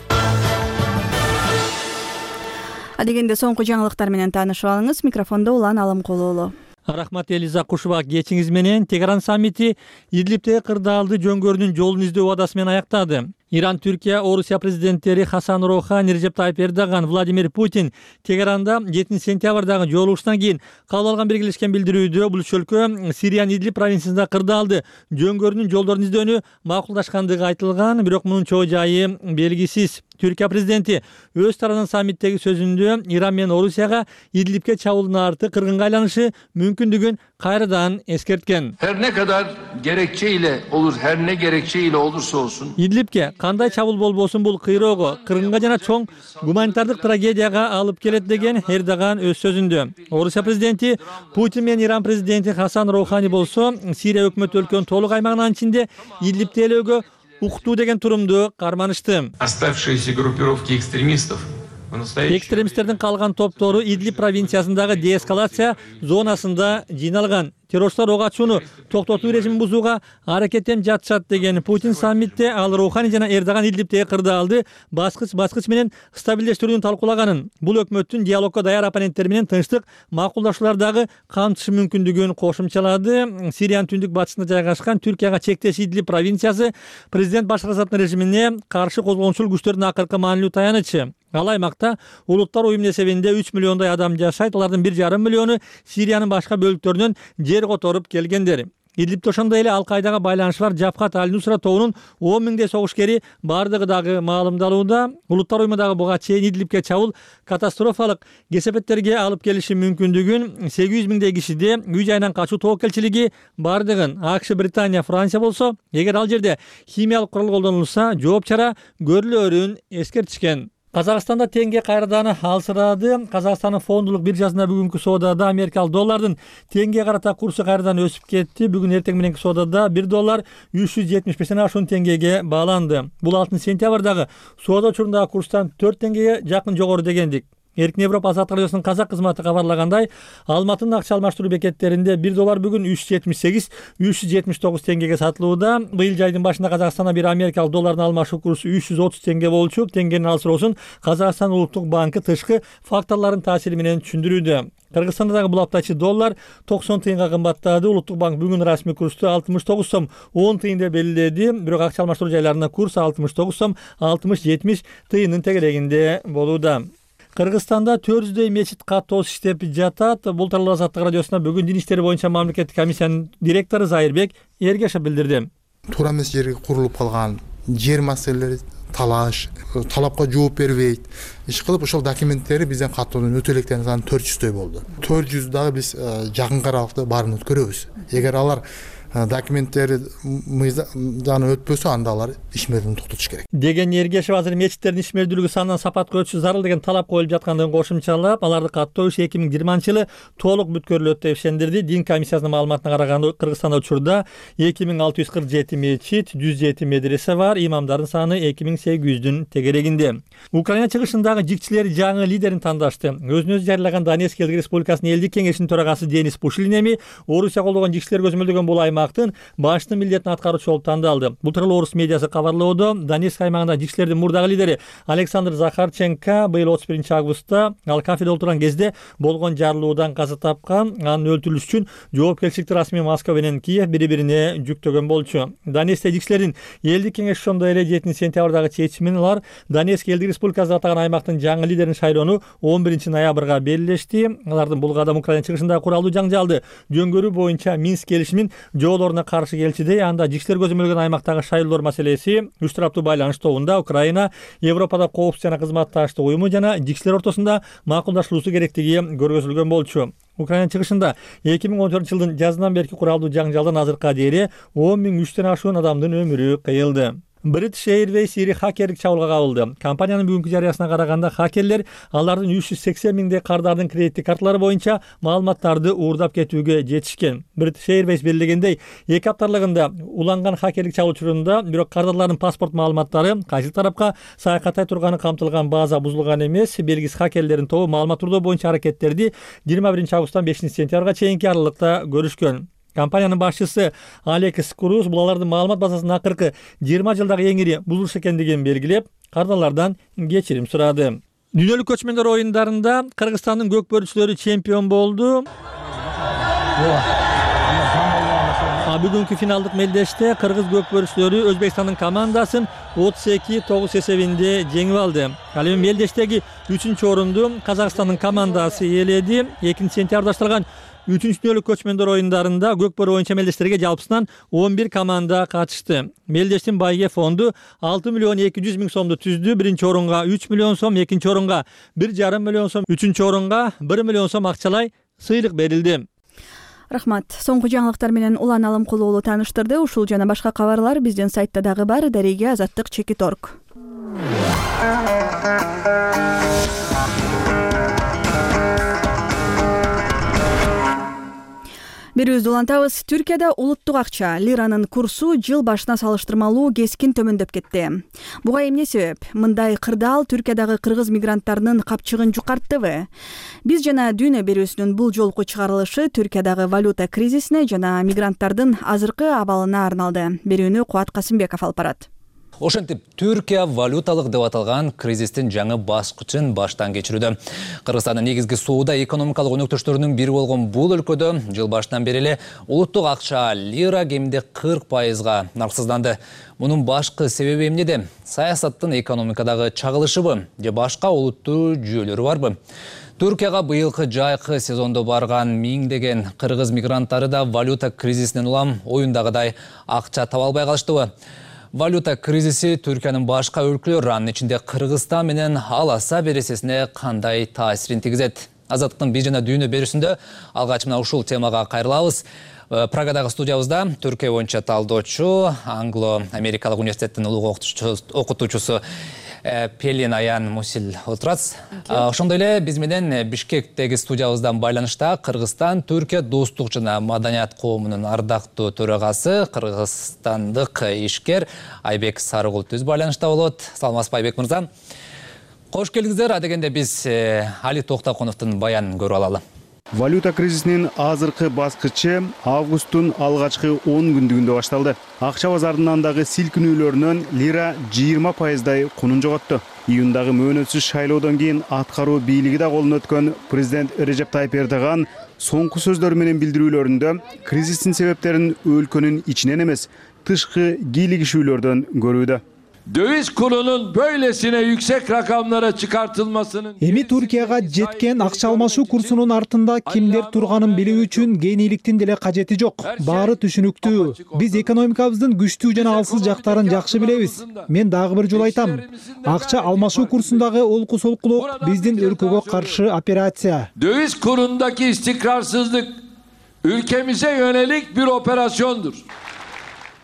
Адегенде соңку жаңылыктар менен таанышып алыңыз. Микрофондо Улан Алымкулуулу. Рахмат Элиза Кушуба. Кечиңиз менен Тегеран саммити Идлибтеги кырдаалды жөнгөрүүнүн жолун издөө убадасы менен аяктады. Иран, Түркия, Орусия президенттери Хасан Роухани, Режеп Тайип Эрдоган, Владимир Путин Тегеранда 7-сентябрдагы жолугушуудан кийин кабыл алган биргелешкен билдирүүдө бул үч өлкө Сириянын Идлиб провинциясында кырдаалды жөнгөрүүнүн жолдорун издөөнү макулдашкандыгы айтылган, бирок мунун чоо жайы белгисиз. Түркия президенти өз тарабынан саммиттеги сөзүндө Иран менен Орусияга Идлибке чабуулдун арты кыргынга айланышы мүмкүндүгүн кайрадан эскерткен. Her ne kadar gerekçeyle olur, her ne gerekçeyle olursa olsun. Идлибке кандай чабуул болбосун бул кыйроого, кыргынга жана чоң гуманитардык трагедияга алып келет деген Эрдоган өз сөзүндө. Орусия президенти Путин менен Иран президенти Хасан Роухани болсо Сирия өкмөтү өлкөнүн толук аймагынын ичинде Идлибти ээлөөгө уктуу деген турумду карманышты. Оставшиеся группировки экстремистов. Экстремисттердин калган топтору Идлиб провинциясындагы деэскалация зонасында жыйналган. Террористтер ок ачууну токтотуу режимин бузууга аракеттенип жатышат деген Путин саммитте ал Роухани жана Эрдоган Идлибтеги кырдаалды баскыч менен стабилдештирүүнү талкуулаганын, бул өкмөттүн диалогко даяр оппоненттери менен тынчтык макулдашуулардагы камтышы мүмкүндүгүн кошумчалады. Сириянын түндүк батышында жайгашкан Түркияга чектеш Идлиб провинциясы президент Башар Асаддын режимине каршы козголгончул күчтөрдүн акыркы маанилүү таянычы. Ал аймакта улуттар уюмунун эсебинде 3 миллиондой адам жашайт. Алардын 1,5 миллиону Сириянын башка бөлүктөрүнөн жер которуп келгендер. Идлибте ошондой эле Ал-Кайдага байланышы бар Жабхат Аль-Нусра тобунун 10 миңдей согушкери бардыгы дагы маалымдалууда. Улуттар уюмундагы буга чейин Идлибке чабуул катастрофалык кесепеттерге алып келиши мүмкүндүгүн, 800 миңдей кишиде үй жайынан качуу тобокелчилиги бардыгын АКШ, Британия, Франция болсо, эгер ал жерде химиялык курал колдонулса, жооп чара көрүлөрүн эскертишкен. Казакстанда теңге кайрадан алсырады. Казакстандын фондулук биржасында бүгүнкү соодада америкалык доллардын теңгеге карата курсу кайрадан өсүп кетти. Бүгүн эртең мененки соодада 1 доллар 375 ашуун теңгеге бааланды. Бул 6-сентябрдагы соода учурундагы курстан 4 теңгеге жакын жогору дегендик. Эркин Европа Азаттык радиосунун казак кызматы кабарлагандай, Алматынын акча алмаштыруу бекеттеринде 1 доллар бүгүн 378-379 теңгеге сатылууда. Быйыл жайдын башында Казакстанда бир америкалык доллардын алмашуу курсу 330 теңге болчу. Теңгенин алсыроосун Казакстан Улуттук банкы тышкы факторлордун таасири менен түшүндүрүүдө. Кыргызстанда дагы бул аптачы доллар 90 тыйынга кымбаттады. Улуттук банк бүгүн расмий курсту 69 сом 10 тыйын деп белгиледи. Бирок акча алмаштыруу жайларында курс 69 сом 60-70 тыйынын тегерегинде болууда. Кыргызстанда 400дөй мечит катоосуз иштеп жатат. Бул тууралуу Азаттык радиосуна бүгүн дин иштери боюнча мамлекеттик комиссиянын директору Зайырбек Эргешов билдирди. Туура эмес жерге курулуп калган жер маселелери талапка жооп бербейт. Иш кылып ошол документтери бизден каттоодон өтө электен саны 400дөй болду. 400 дагы биз жакын аралыкта баарын өткөрөбүз. Эгер алар документтери мыйзам өтпөсө анда алар ишмердүүлүгүн токтотуш керек деген Ергешев азыр мечиттердин ишмердүүлүгү санынан сапатка өтүшү зарыл деген талап коюлуп жаткандыгын кошумчалап, аларды каттоо иши 2020-жылы толук бүткөрүлөт деп ишендирди. Дин комиссиясынын маалыматына караганда Кыргызстанда учурда 2647 мечит, 107 медресе бар, имамдардын саны 2800-дүн тегерегинде. Украина чыгышындагы жикчилер жаңы лидерин тандашты. Өзүн өзү жарыялаган Донецк элдик республикасынын элдик кеңешинин төрагасы Денис Пушилин эми Орусия колдогон жикчилер көзөмөлдөгөн бул аймактын башчы милдетин аткаруучу болуп тандалды. Бул тууралуу орус медиасы кабарлоодо. Донецк аймагында жикчилердин мурдагы лидери Александр Захарченко быйыл 31-августта ал кафеде отурган кезде болгон жарылуудан каза тапкан. Анын өлтүрүлүшү үчүн жоопкерчиликти расмий Москва менен Киев бири-бирине жүктөгөн болчу. Донецкте жикчилердин элдик кеңеши ошондой эле 7-сентябрдагы чечими менен алар Донецк элдик республикасы атаган аймактын жаңы лидерин шайлоону 11-ноябрга белгилешти. Алардын бул кадам Украина чыгышындагы куралдуу жаңжалды жөнгөрүү боюнча Минск келишимин жоолоруна каршы келчү. Анда жикчилер көзөмөлгөн аймактагы шайлоолор маселеси үч тараптуу байланыш тобунда Украина, Европада коопсуз жана кызматташтык уюму жана жикчилер ортосунда макулдашылуусу керектиги көргөзүлгөн болчу. Украина чыгышында 2014-жылдын жазынан берки куралдуу жаңжалдан азыркыга чейин 10.000-3төн ашуун адамдын өмүрү кыйылды. British Airways ири хакерлик чабуулга кабылды. Компаниянын бүгүнкү жарыясына караганда хакерлер алардын 380 миңдей кардардын кредиттик карталары боюнча маалыматтарды уурдап кетүүгө жетишкен. British Airways белгилегендей, 2 апталыгында уланган хакерлик чабуул учурунда бирок кардарлардын паспорт маалыматтары кайсы тарапка саякаттай турганы камтылган база бузулган эмес. Белгисиз хакерлердин тобу маалымат уурдоо боюнча аракеттерди 21-августтан 5-сентябрга чейинки аралыкта көрүшкөн. Компаниянын башчысы Алекс Круз бул алардын маалымат базасынын акыркы 20 жылдагы эң ири бузулуш экендигин белгилеп, кардарлардан кечирим сурады. Дүйнөлүк көчмөндөр оюндарында Кыргызстандын көкбөрүчүлөрү чемпион болду. Бүгүнкү финалдык мелдеште кыргыз көкбөрүчүлөрү Өзбекстандын командасын 32-9 эсебинде жеңип алды. Ал эми мелдештеги 3-орунду Казакстандын командасы ээледи. 2-сентябрда башталган 3-дүйнөлүк көчмөндөр оюндарында көкбөрү боюнча мелдештерге жалпысынан 11 команда катышты. Мелдештин байге фонду 6.200.000 сомду түздү. 1-орунга 3 миллион сом, 2-орунга 1,5 миллион сом, 3-орунга 1 миллион сом акчалай сыйлык берилди. Рахмат. Соңку жаңылыктар менен Улан Алымкулуулу тааныштырды. Ушул жана башка кабарлар биздин сайтта дагы бар. Дареге Азаттык.org. Берүүбүздү улантабыз. Түркияда улуттук акча лиранын курсу жыл башына салыштырмалуу кескин төмөндөп кетти. Буга эмне себеп? Мындай кырдаал Түркиядагы кыргыз мигранттарынын капчыгын жукарттыбы? Биз жана Дүйнө берүүсүнүн бул жолку чыгарылышы Түркиядагы валюта кризисине жана мигранттардын азыркы абалына арналды. Берүүнү Кубат Касымбеков алып барат. Ошентип, Түркия валюталык деп аталган кризистин жаңы баскычын баштан кечирүүдө. Кыргызстандын негизги соода экономикалык өнөктөштөрүнүн бири болгон бул өлкөдө жыл башынан бери эле улуттук акча лира кеминде 40%га нарксызданды. Мунун башкы себеби эмнеде? Саясаттын экономикадагы чагылышыбы же башка олуттуу жүйөлөрү барбы? Түркияга быйылкы жайкы сезондо барган миңдеген кыргыз мигранттары да валюта кризисинен улам оюндагыдай акча таба албай калыштыбы? Валюта кризиси Түркиянын башка өлкөлөр, анын ичинде Кыргызстан менен аласа бересесине кандай таасирин тийгизет? Азаттыктын биз жана Дүйнө берүүсүндө алгач мына ушул темага кайрылабыз. Прагадагы студиябызда Түркия боюнча талдоочу, Англо-Америкалык университеттин улуг окутуучусу Пелин Аян Мусил отурат. Ошондой эле биз менен Бишкектеги студиябыздан байланышта Кыргызстан Түркия достук жана маданият коомунун ардактуу төрагасы, кыргызстандык ишкер Айбек Сарыгул түз байланышта болот. Саламатсызбы Айбек мырза? Кош келдиңиздер. Адегенде биз Али Токтокуновдун баянын көрүп алалы. Валюта кризисинин азыркы баскычы августтун алгачкы 10 күндүгүндө башталды. Акча базарынын андагы силкинүүлөрүнөн лира 20%дай кунун жоготту. Июндагы мөөнөтсүз шайлоодон кийин аткаруу бийлиги да колуна өткөн президент Режеп Тайип Эрдоган соңку сөздөр менен билдирүүлөрүндө кризистин себептерин өлкөнүн ичинен эмес, тышкы кийлигишүүлөрдөн көрүүдө. Döviz kurunun böylesine yüksek rakamlara çıkartılmasının... Эми Түркияга жеткен акча алмашуу курсунун артында кимдер турганын билүү үчүн кениликтин деле кажети жок. Баары түшүнүктүү. Биз экономикабыздын күчтүү жана алсыз жактарын жакшы билебиз. Мен дагы бир жолу айтам. Акча алмашуу курсундагы олку-солкулук биздин өлкөгө каршы операция. Döviz kurundaki istikrarsızlık ülkemize yönelik bir operasyondur.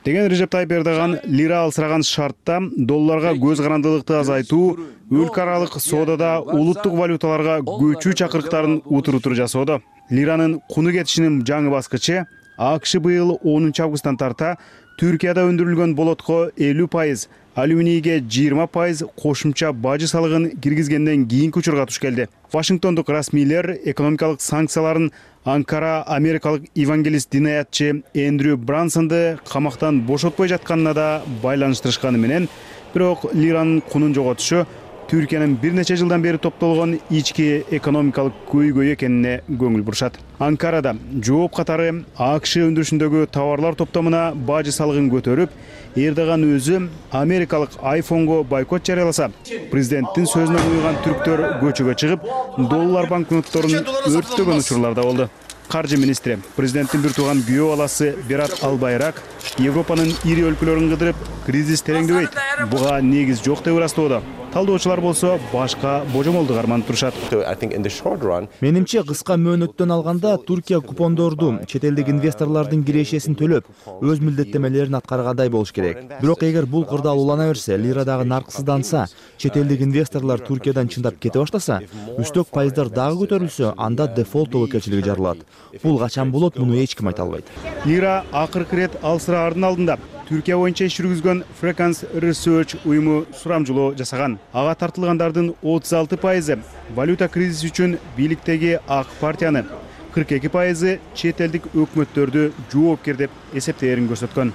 деген Режеп Тайып Эрдоган лира алсыраган шартта долларга көз карандылыкты азайтуу, өлкө аралык соодада улуттук валюталарга көчүү чакырыктарын утур жасоодо. Лиранын куну кетишинин жаңы баскычы АКШ быйыл 10 августтан тарта Түркияда өндүрүлгөн болотко 50%, алюминийге 20% кошумча бажы салыгын киргизгенден кийинки учурга туш келди. Вашингтондук расмийлер экономикалык санкцияларын Анкара америкалык евангелист дин аятчы Эндрю Брансонду камактан бошотпой жатканына да байланыштырышканы менен, бирок лиранын кунун жоготушу Түркиянын бир нече жылдан бери топтолгон ички экономикалык көйгөй экенине көңүл бурушат. Анкарада жооп катары АКШ өндүрүшүндөгү товарлар топтомуна бажы салыгын көтөрүп, Эрдоган өзү америкалык iPhone'го бойкот жарыяласа, президенттин сөзүнөн уйган түрктөр көчөгө чыгып, доллар банкнотторун өрттөгөн учурлар да болду. Каржы министри, президенттин бир тууган күйөө баласы Берат Албайрак Европанын ири өлкөлөрүн кыдырып, кризис тереңдөбөйт, буга негиз жок деп ырастоодо. Талдоочулар болсо башка божомолду карманып турушат. Менимче кыска мөөнөттөн алганда Туркия купондорду чет элдик инвесторлордун кирешесин төлөп, өз милдеттемелерин аткаргандай болуш керек. Бирок эгер бул кырдаал улана берсе, лирадагы нарксызданса, чет элдик инвесторлор Туркиядан чындап кете баштаса, үстөк пайыздар дагы көтөрүлсө, анда дефолт тобокелчилиги жарылат. Бул качан болот, муну эч ким айта албайт. Лира акыркы ирет алсыраардын алдында Түркия боюнча иш жүргүзгөн Frequence Research уюму сурамжылоо жасаган. Ага тартылгандардын 36% валюта кризиси үчүн бийликтеги ак партияны, 42% чет элдик өкмөттөрдү жоопкер деп эсептээрин көрсөткөн.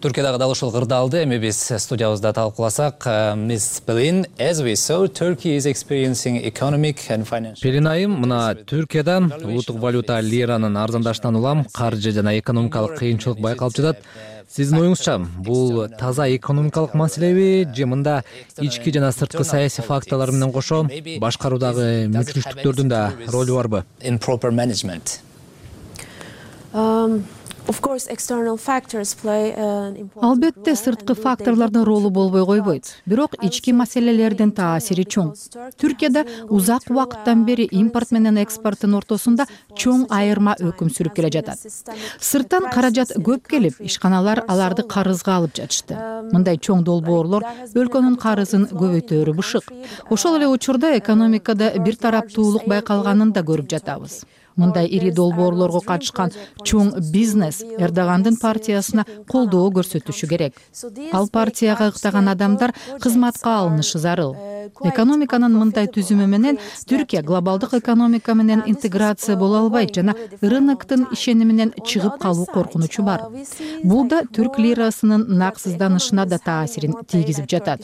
Түркиядагы дал ушул кырдаалды эми биз студиябызда талкууласак, Miss Pelin, as we saw, Turkey is experiencing economic and financial. Pelin айым, мына Түркияда улуттук валюта лиранын арзандашынан улам каржы жана экономикалык кыйынчылык байкалып жатат. Сиздин оюңузча, бул таза экономикалык маселеби же мында ички жана сырткы саясий факторлор менен кошо башкаруудагы мүчүлүштүктөрдүн да ролу барбы? In proper management. Албетте сырткы факторлордун ролу болбой койбойт. Бирок ички маселелердин таасири чоң. Түркияда узак убакыттан бери импорт менен экспорттун ортосунда чоң айырма өкүм сүрүп келе жатат. Сырттан каражат көп келип, ишканалар аларды карызга алып жатышты. Мындай чоң долбоорлор өлкөнүн карызын көбөйтөөрү бышык. Ошол эле учурда экономикада бир тараптуулук байкалганын да көрүп жатабыз. Мындай ири долбоорлорго катышкан чоң бизнес Эрдогандын партиясына колдоо көрсөтүшү керек. Ал партияга ыктаган адамдар кызматка алынышы зарыл. Экономиканын мындай түзүмү менен Түркия глобалдык экономика менен интеграция боло албайт жана рыноктун ишениминен чыгып калуу коркунучу бар. Бул да түрк лирасынын наксызданышына да таасирин тийгизип жатат.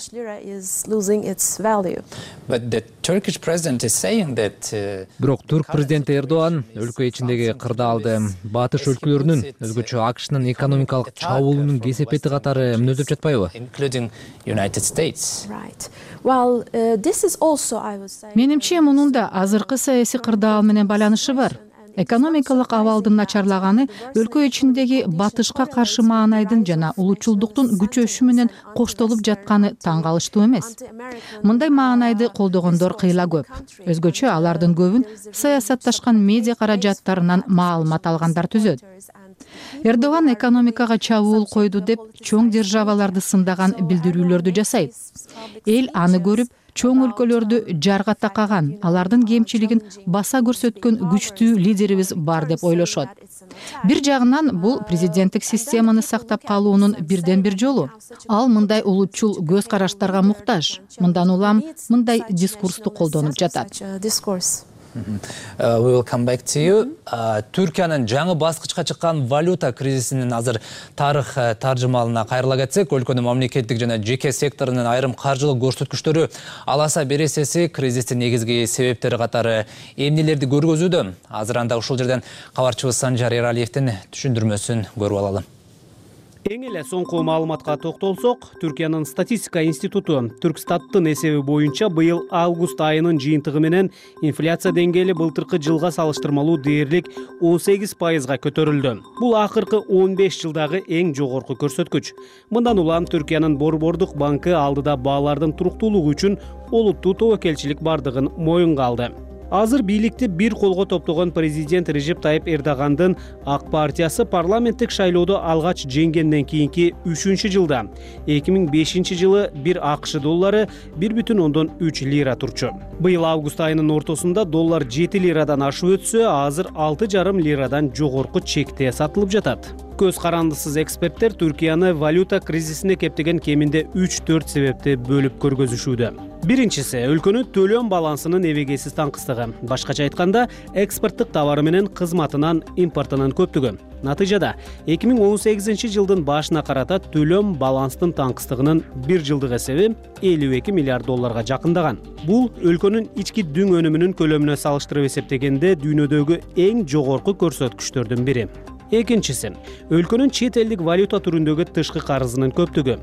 Бирок түрк президенти Эрдоган өлкө ичиндеги кырдаалды батыш өлкөлөрүнүн, өзгөчө АКШнын экономикалык чабуулунун кесепети катары мүнөздөп жатпайбы? Менимче мунун да азыркы саясий кырдаал менен байланышы бар. Экономикалык абалдын начарлаганы өлкө ичиндеги батышка каршы маанайдын жана улутчулдуктун күчөшү менен коштолуп жатканы таң калыштуу эмес. Мындай маанайды колдогондор кыйла көп. Өзгөчө алардын көбүн саясатташкан медиа каражаттарынан маалымат алгандар түзөт. Эрдоган экономикага чабуул койду деп чоң державаларды сындаган билдирүүлөрдү жасайт. Эл аны көрүп, чоң өлкөлөрдү жарга такаган, алардын кемчилигин баса көрсөткөн күчтүү лидерибиз бар деп ойлошот. Бир жагынан бул президенттик системаны сактап калуунун бирден бир жолу. Ал мындай улутчул көз караштарга муктаж. Мындан улам мындай дискурсту колдонуп жатат. We will come back to you. Түркиянын жаңы баскычка чыккан валюта кризисинин азыр тарых таржымалына кайрыла кетсек, өлкөнүн мамлекеттик жана жеке секторунун айрым каржылык көрсөткүчтөрү аласа бересеси кризистин негизги себептери катары эмнелерди көргөзүүдө? Азыр анда ушул жерден кабарчыбыз Санжар Эралиевдин түшүндүрмөсүн көрүп алалы. Эң эле соңку маалыматка токтолсок, Түркиянын статистика институту Түркстаттын эсеби боюнча быйыл август айынын жыйынтыгы менен инфляция деңгээли былтыркы жылга салыштырмалуу дээрлик 18%га көтөрүлдү. Бул акыркы 15 жылдагы эң жогорку көрсөткүч. Мындан улам Түркиянын Борбордук банкы алдыда баалардын туруктуулугу үчүн олуттуу тобокелчилик бардыгын моюнга алды. Азыр бийликти бир колго топтогон президент Режеп Тайып Эрдогандын Ак партиясы парламенттик шайлоодо алгач жеңгенден кийинки 3-жылда 2005 жылы бир АКШ доллары 1,3 лира турчу. Быйыл август айынын ортосунда доллар 7 лирадан ашып өтсө, азыр 6,5 лирадан жогорку чекте сатылып жатат. Көз карандысыз эксперттер Түркияны валюта кризисине кептеген кеминде 3-4 себепти бөлүп көргөзүшүүдө. Биринчиси өлкөнүн төлөм балансынын эбегейсиз таңкыстыгы. Башкача айтканда, экспорттук товары менен кызматынан импортунун көптүгү. Натыйжада 2018 жылдын башына карата төлөм баланстын таңкыстыгынын 1 жылдык эсеби 52 миллиард долларга жакындаган. Бул өлкөнүн ички дүң өнүмүнүн көлөмүнө салыштырып эсептегенде дүйнөдөгү эң жогорку көрсөткүчтөрдүн бири. Экинчиси өлкөнүн чет элдик валюта түрүндөгү тышкы карызынын көптүгү.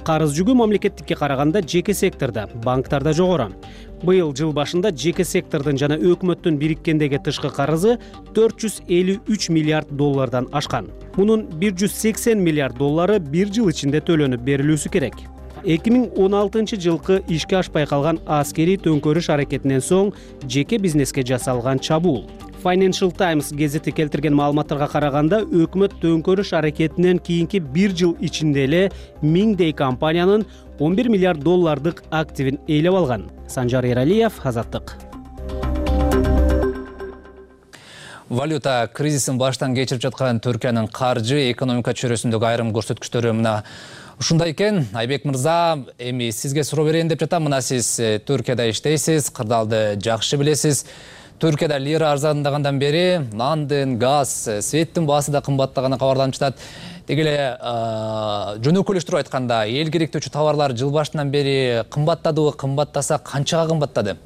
Карыз жүгү мамлекеттикке караганда жеке сектордо, банктарда жогору. Быйыл жыл башында жеке сектордун жана өкмөттүн бириккендеги тышкы карызы 453 миллиард доллардан ашкан. Мунун 180 миллиард доллары бир жыл ичинде төлөнүп берилүүсү керек. 2016 жылкы ишке ашпай калган аскерий төңкөрүш аракетинен соң жеке бизнеске жасалган чабуул. Financial Times гезити келтирген маалыматтарга караганда, өкмөт төңкөрүш аракетинен кийинки бир жыл ичинде эле миңдей компаниянын 11 миллиард доллардык активин ээлеп алган. Санжар Эралиев, Азаттык. Валюта кризисин баштан кечирип жаткан Түркиянын каржы экономика чөйрөсүндөгү айрым көрсөткүчтөрү мына ушундай экен. Айбек мырза, эми сизге суроо берейин деп жатам. Мына сиз Түркияда иштейсиз, кырдаалды жакшы билесиз. Түркияда лира арзандагандан бери нандын, газ, светтин баасы да кымбаттаганы кабарланып жатат. Деги эле жөнөкөлүштүрүп айтканда, эл керектүүчү товарлар жыл башынан бери кымбаттадыбы, кымбаттаса канчага кымбаттады?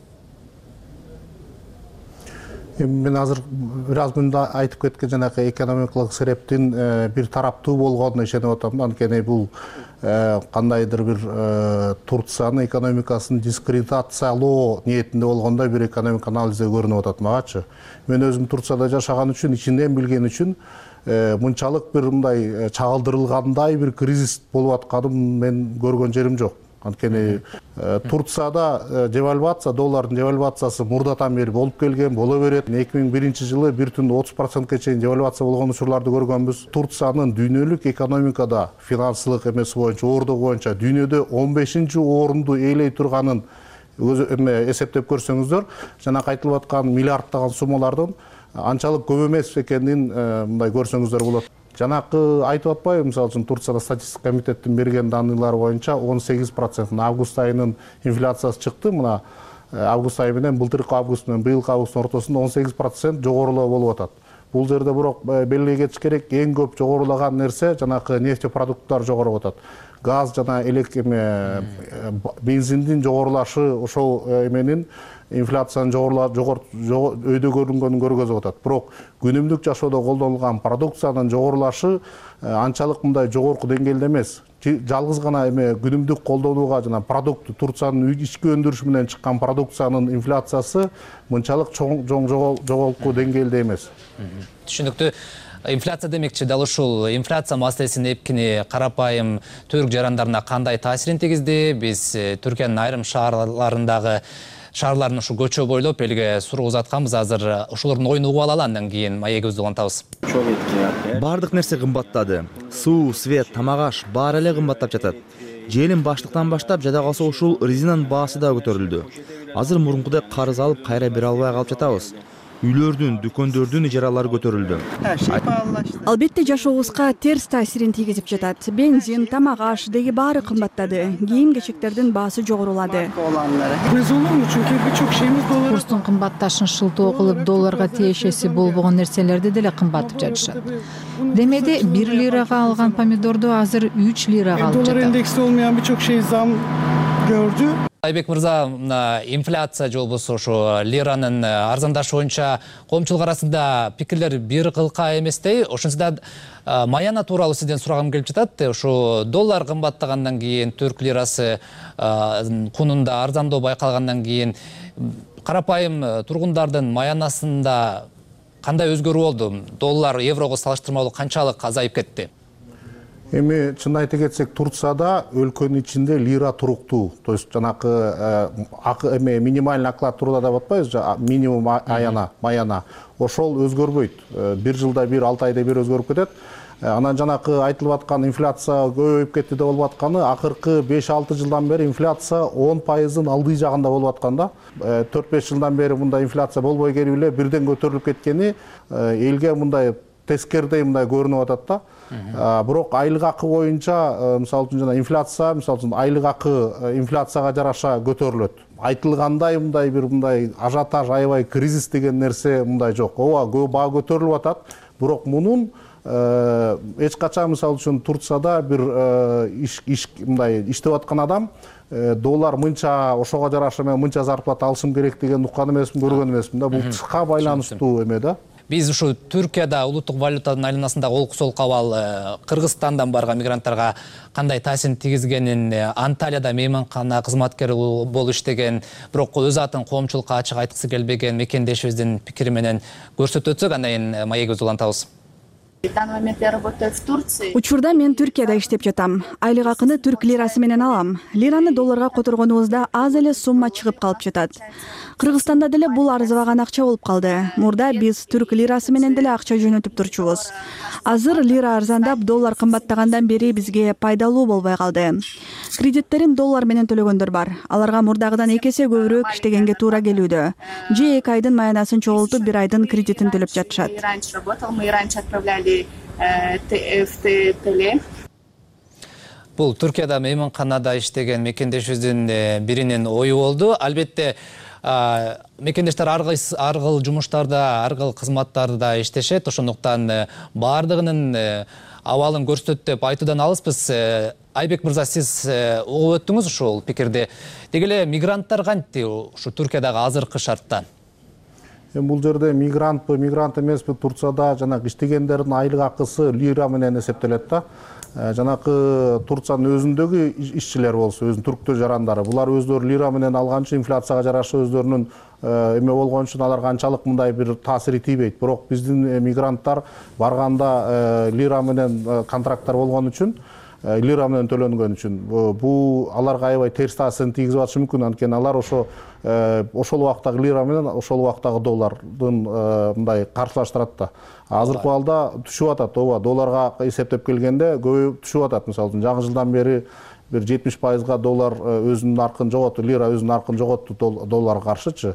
Мен азыр бир аз мында айтып кеткен жанагы экономикалык себептин бир тараптуу болгонуна ишенип атам. Анткени бул кандайдыр бир Турциянын экономикасын дискредитациялоо ниетинде болгондой бир экономика анализде көрүнүп атат магачы. Мен өзүм Турцияда жашаган үчүн, ичинден билген үчүн мынчалык бир мындай чагылдырылгандай бир кризис болуп атканын мен көргөн жерим жок. Анткени Турцияда девальвация, доллардын девальвациясы мурдатан бери болуп келген, боло берет. 2001 жылы 1,30%га чейин девальвация болгон учурларды көргөнбүз. Турциянын дүйнөлүк экономикада финансылык эмеси боюнча, ордугу боюнча дүйнөдө 15-орунду ээлей турганын эсептеп көрсөңүздөр, жана айтылып аткан миллиарддаган суммалардын анчалык көп эмес экенин мындай көрсөңүздөр болот. Жанакы айтып атпайбы, мисалы үчүн Турцияда статистика комитеттин берген данныйлары боюнча 18% август айынын инфляциясы чыкты. Мына август айы менен былтыркы август менен быйылкы августтун ортосунда 18% жогорулоо болуп атат. Бул жерде бирок белгилей кетиш керек, эң көп жогорулаган нерсе жанакы нефтепродукттар жогору атат. Газ жана бензиндин жогорулашы ошол эменин инфляциянын өйдө көрүнгөнүн көргөзүп атат. Бирок күнүмдүк жашоодо колдонулган продукциянын жогорулашы анчалык мындай жогорку деңгээлде эмес. Жалгыз гана күнүмдүк колдонууга жана продукт Турциянын ички өндүрүшү менен чыккан продукциянын инфляциясы мынчалык чоң жогорку деңгээлде эмес. Түшүнүктүү. Инфляция демекчи, дал ушул инфляция маселесин эпкини карапайым түрк жарандарына кандай таасирин тийгизди? Биз Түркиянын айрым шаарларын ушу көчө бойлоп элге суроо узатканбыз. Азыр ошолордун оюн угуп алалы, андан кийин маегибизди улантабыз. Бардык нерсе кымбаттады. Суу, свет, тамак-аш баары эле кымбаттап жатат. Желин баштыктан баштап жада калса ушул резинанын баасы да көтөрүлдү. Азыр мурункудай карыз алып кайра бере албай калып жатабыз. Үйлөрдүн, дүкөндөрдүн ижаралары көтөрүлдү. Албетте жашообузга терс таасирин тийгизип жатат. Бензин, тамак-аш деги баары кымбаттады. Кийим-кечектердин баасы жогорулады. Курстун кымбатташын шылтоо кылып, долларга тиешеси болбогон нерселерди деле кымбатып жатышат. Демеде 1 лирага алган помидорду азыр 3 лирага алып жатат. Индекси olmayan birçok şey zam gördü. Айбек мырза, инфляция же болбосо ошо лиранын арзандашы боюнча коомчулук арасында пикирлер бир кылка эместей. Ошондо маяна тууралуу сизден сурагым келип жатат. Ошо доллар кымбаттагандан кийин, түрк лирасы кунунда арзандоо байкалгандан кийин карапайым тургундардын маянасында кандай өзгөрүү болду? Доллар еврого салыштырмалуу канчалык азайып кетти? Эми чын айта кетсек, Турцияда өлкөнүн ичинде лира туруктуу. То есть жанакы минимальный оклад труда деп атпайбызбы, минимум маяна. Ошол өзгөрбөйт. Бир жылда бир, 6 айда бир өзгөрүп кетет. Анан жанакы айтылып аткан инфляция көбөйүп кетти деп болуп атканы, акыркы 5-6 жылдан бери инфляция 10%-ын алдыы жагында болуп атканда, 4-5 жылдан бери мындай инфляция болбой келип эле бирден көтөрүлүп кеткени элге мындай тескердей мындай көрүнүп атат да. Бирок айлык акы боюнча, мисалы үчүн жана инфляция, мисалы үчүн айлык акы инфляцияга жараша көтөрүлөт. Айтылгандай мындай ажиотаж, аябай кризис деген нерсе мындай жок. Ооба, баа көтөрүлүп атат, бирок мунун эч качан мисалы үчүн Турцияда бир мындай иштеп аткан адам доллар мынча, ошого жараша мен мынча зарплата алышым керек деген уккан эмесмин, көргөн эмесмин да. Бул тышка байланыштуу эме да. Биз ушу Түркияда улуттук валютанын айланасындагы олкусол кабал Кыргызстандан барган мигранттарга кандай таасирин тийгизгенин, Анталияда мейманкана кызматкери болуп иштеген, бирок өз атын коомчулукка ачык айткысы келбеген мекендешибиздин пикири менен көрсөтүп өтсөк, андан кийин маегибизди улантабыз. В данный момент я работаю в Турции. Учурда мен Түркияда иштеп жатам. Айлык акыны түрк лирасы менен алам. Лираны долларга которгонубузда аз эле сумма чыгып калып жатат. Кыргызстанда деле бул арзыбаган акча болуп калды. Мурда биз түрк лирасы менен деле акча жөнөтүп турчубуз. Азыр лира арзандап, доллар кымбаттагандан бери бизге пайдалуу болбой калды. Кредиттерин доллар менен төлөгөндөр бар. Аларга мурдагыдан 2 эсе көбүрөөк иштегенге туура келүүдө. Же 2 айдын маянасын чогултуп, 1 айдын кредитин төлөп жатышат. Бул Түркияда мейманканада иштеген мекендешибиздин биринин ою болду. Албетте мекендештер ар кыл жумуштарда, ар кыл кызматтарда иштешет. Ошондуктан баардыгынын абалын көрсөтөт деп айтуудан алыспыз. Айбек мырза, сиз угуп өттүңүз ушул пикирди. Деги эле мигранттар кантти ушу Түркиядагы азыркы шартта? Бул жерде мигрант эмеспи, Турцияда жанагы иштегендердин айлык акысы лира менен эсептелет да. Жанакы Турциянын өзүндөгү ишчилер болсо, өзүнүн түрктөр жарандары, булар өздөрү лира менен алган үчүн инфляцияга жараша өздөрүнүн эме болгон үчүн аларга анчалык мындай бир таасири тийбейт. Бирок биздин мигранттар барганда лира менен контракттар болгон үчүн, лира менен төлөнгөн үчүн бул аларга аябай терс таасирин тийгизип атышы мүмкүн. Анткени алар ошол убактагы лира менен ошол убактагы доллардын мындай каршылаштырат да. Азыркы балда түшүп атат, ооба, долларга эсептеп келгенде көбү түшүп атат. Мисалы үчүн жаңы жылдан бери бир 70%га доллар өзүнүн наркын жоготту, лира өзүнүн наркын жоготту долларга каршычы.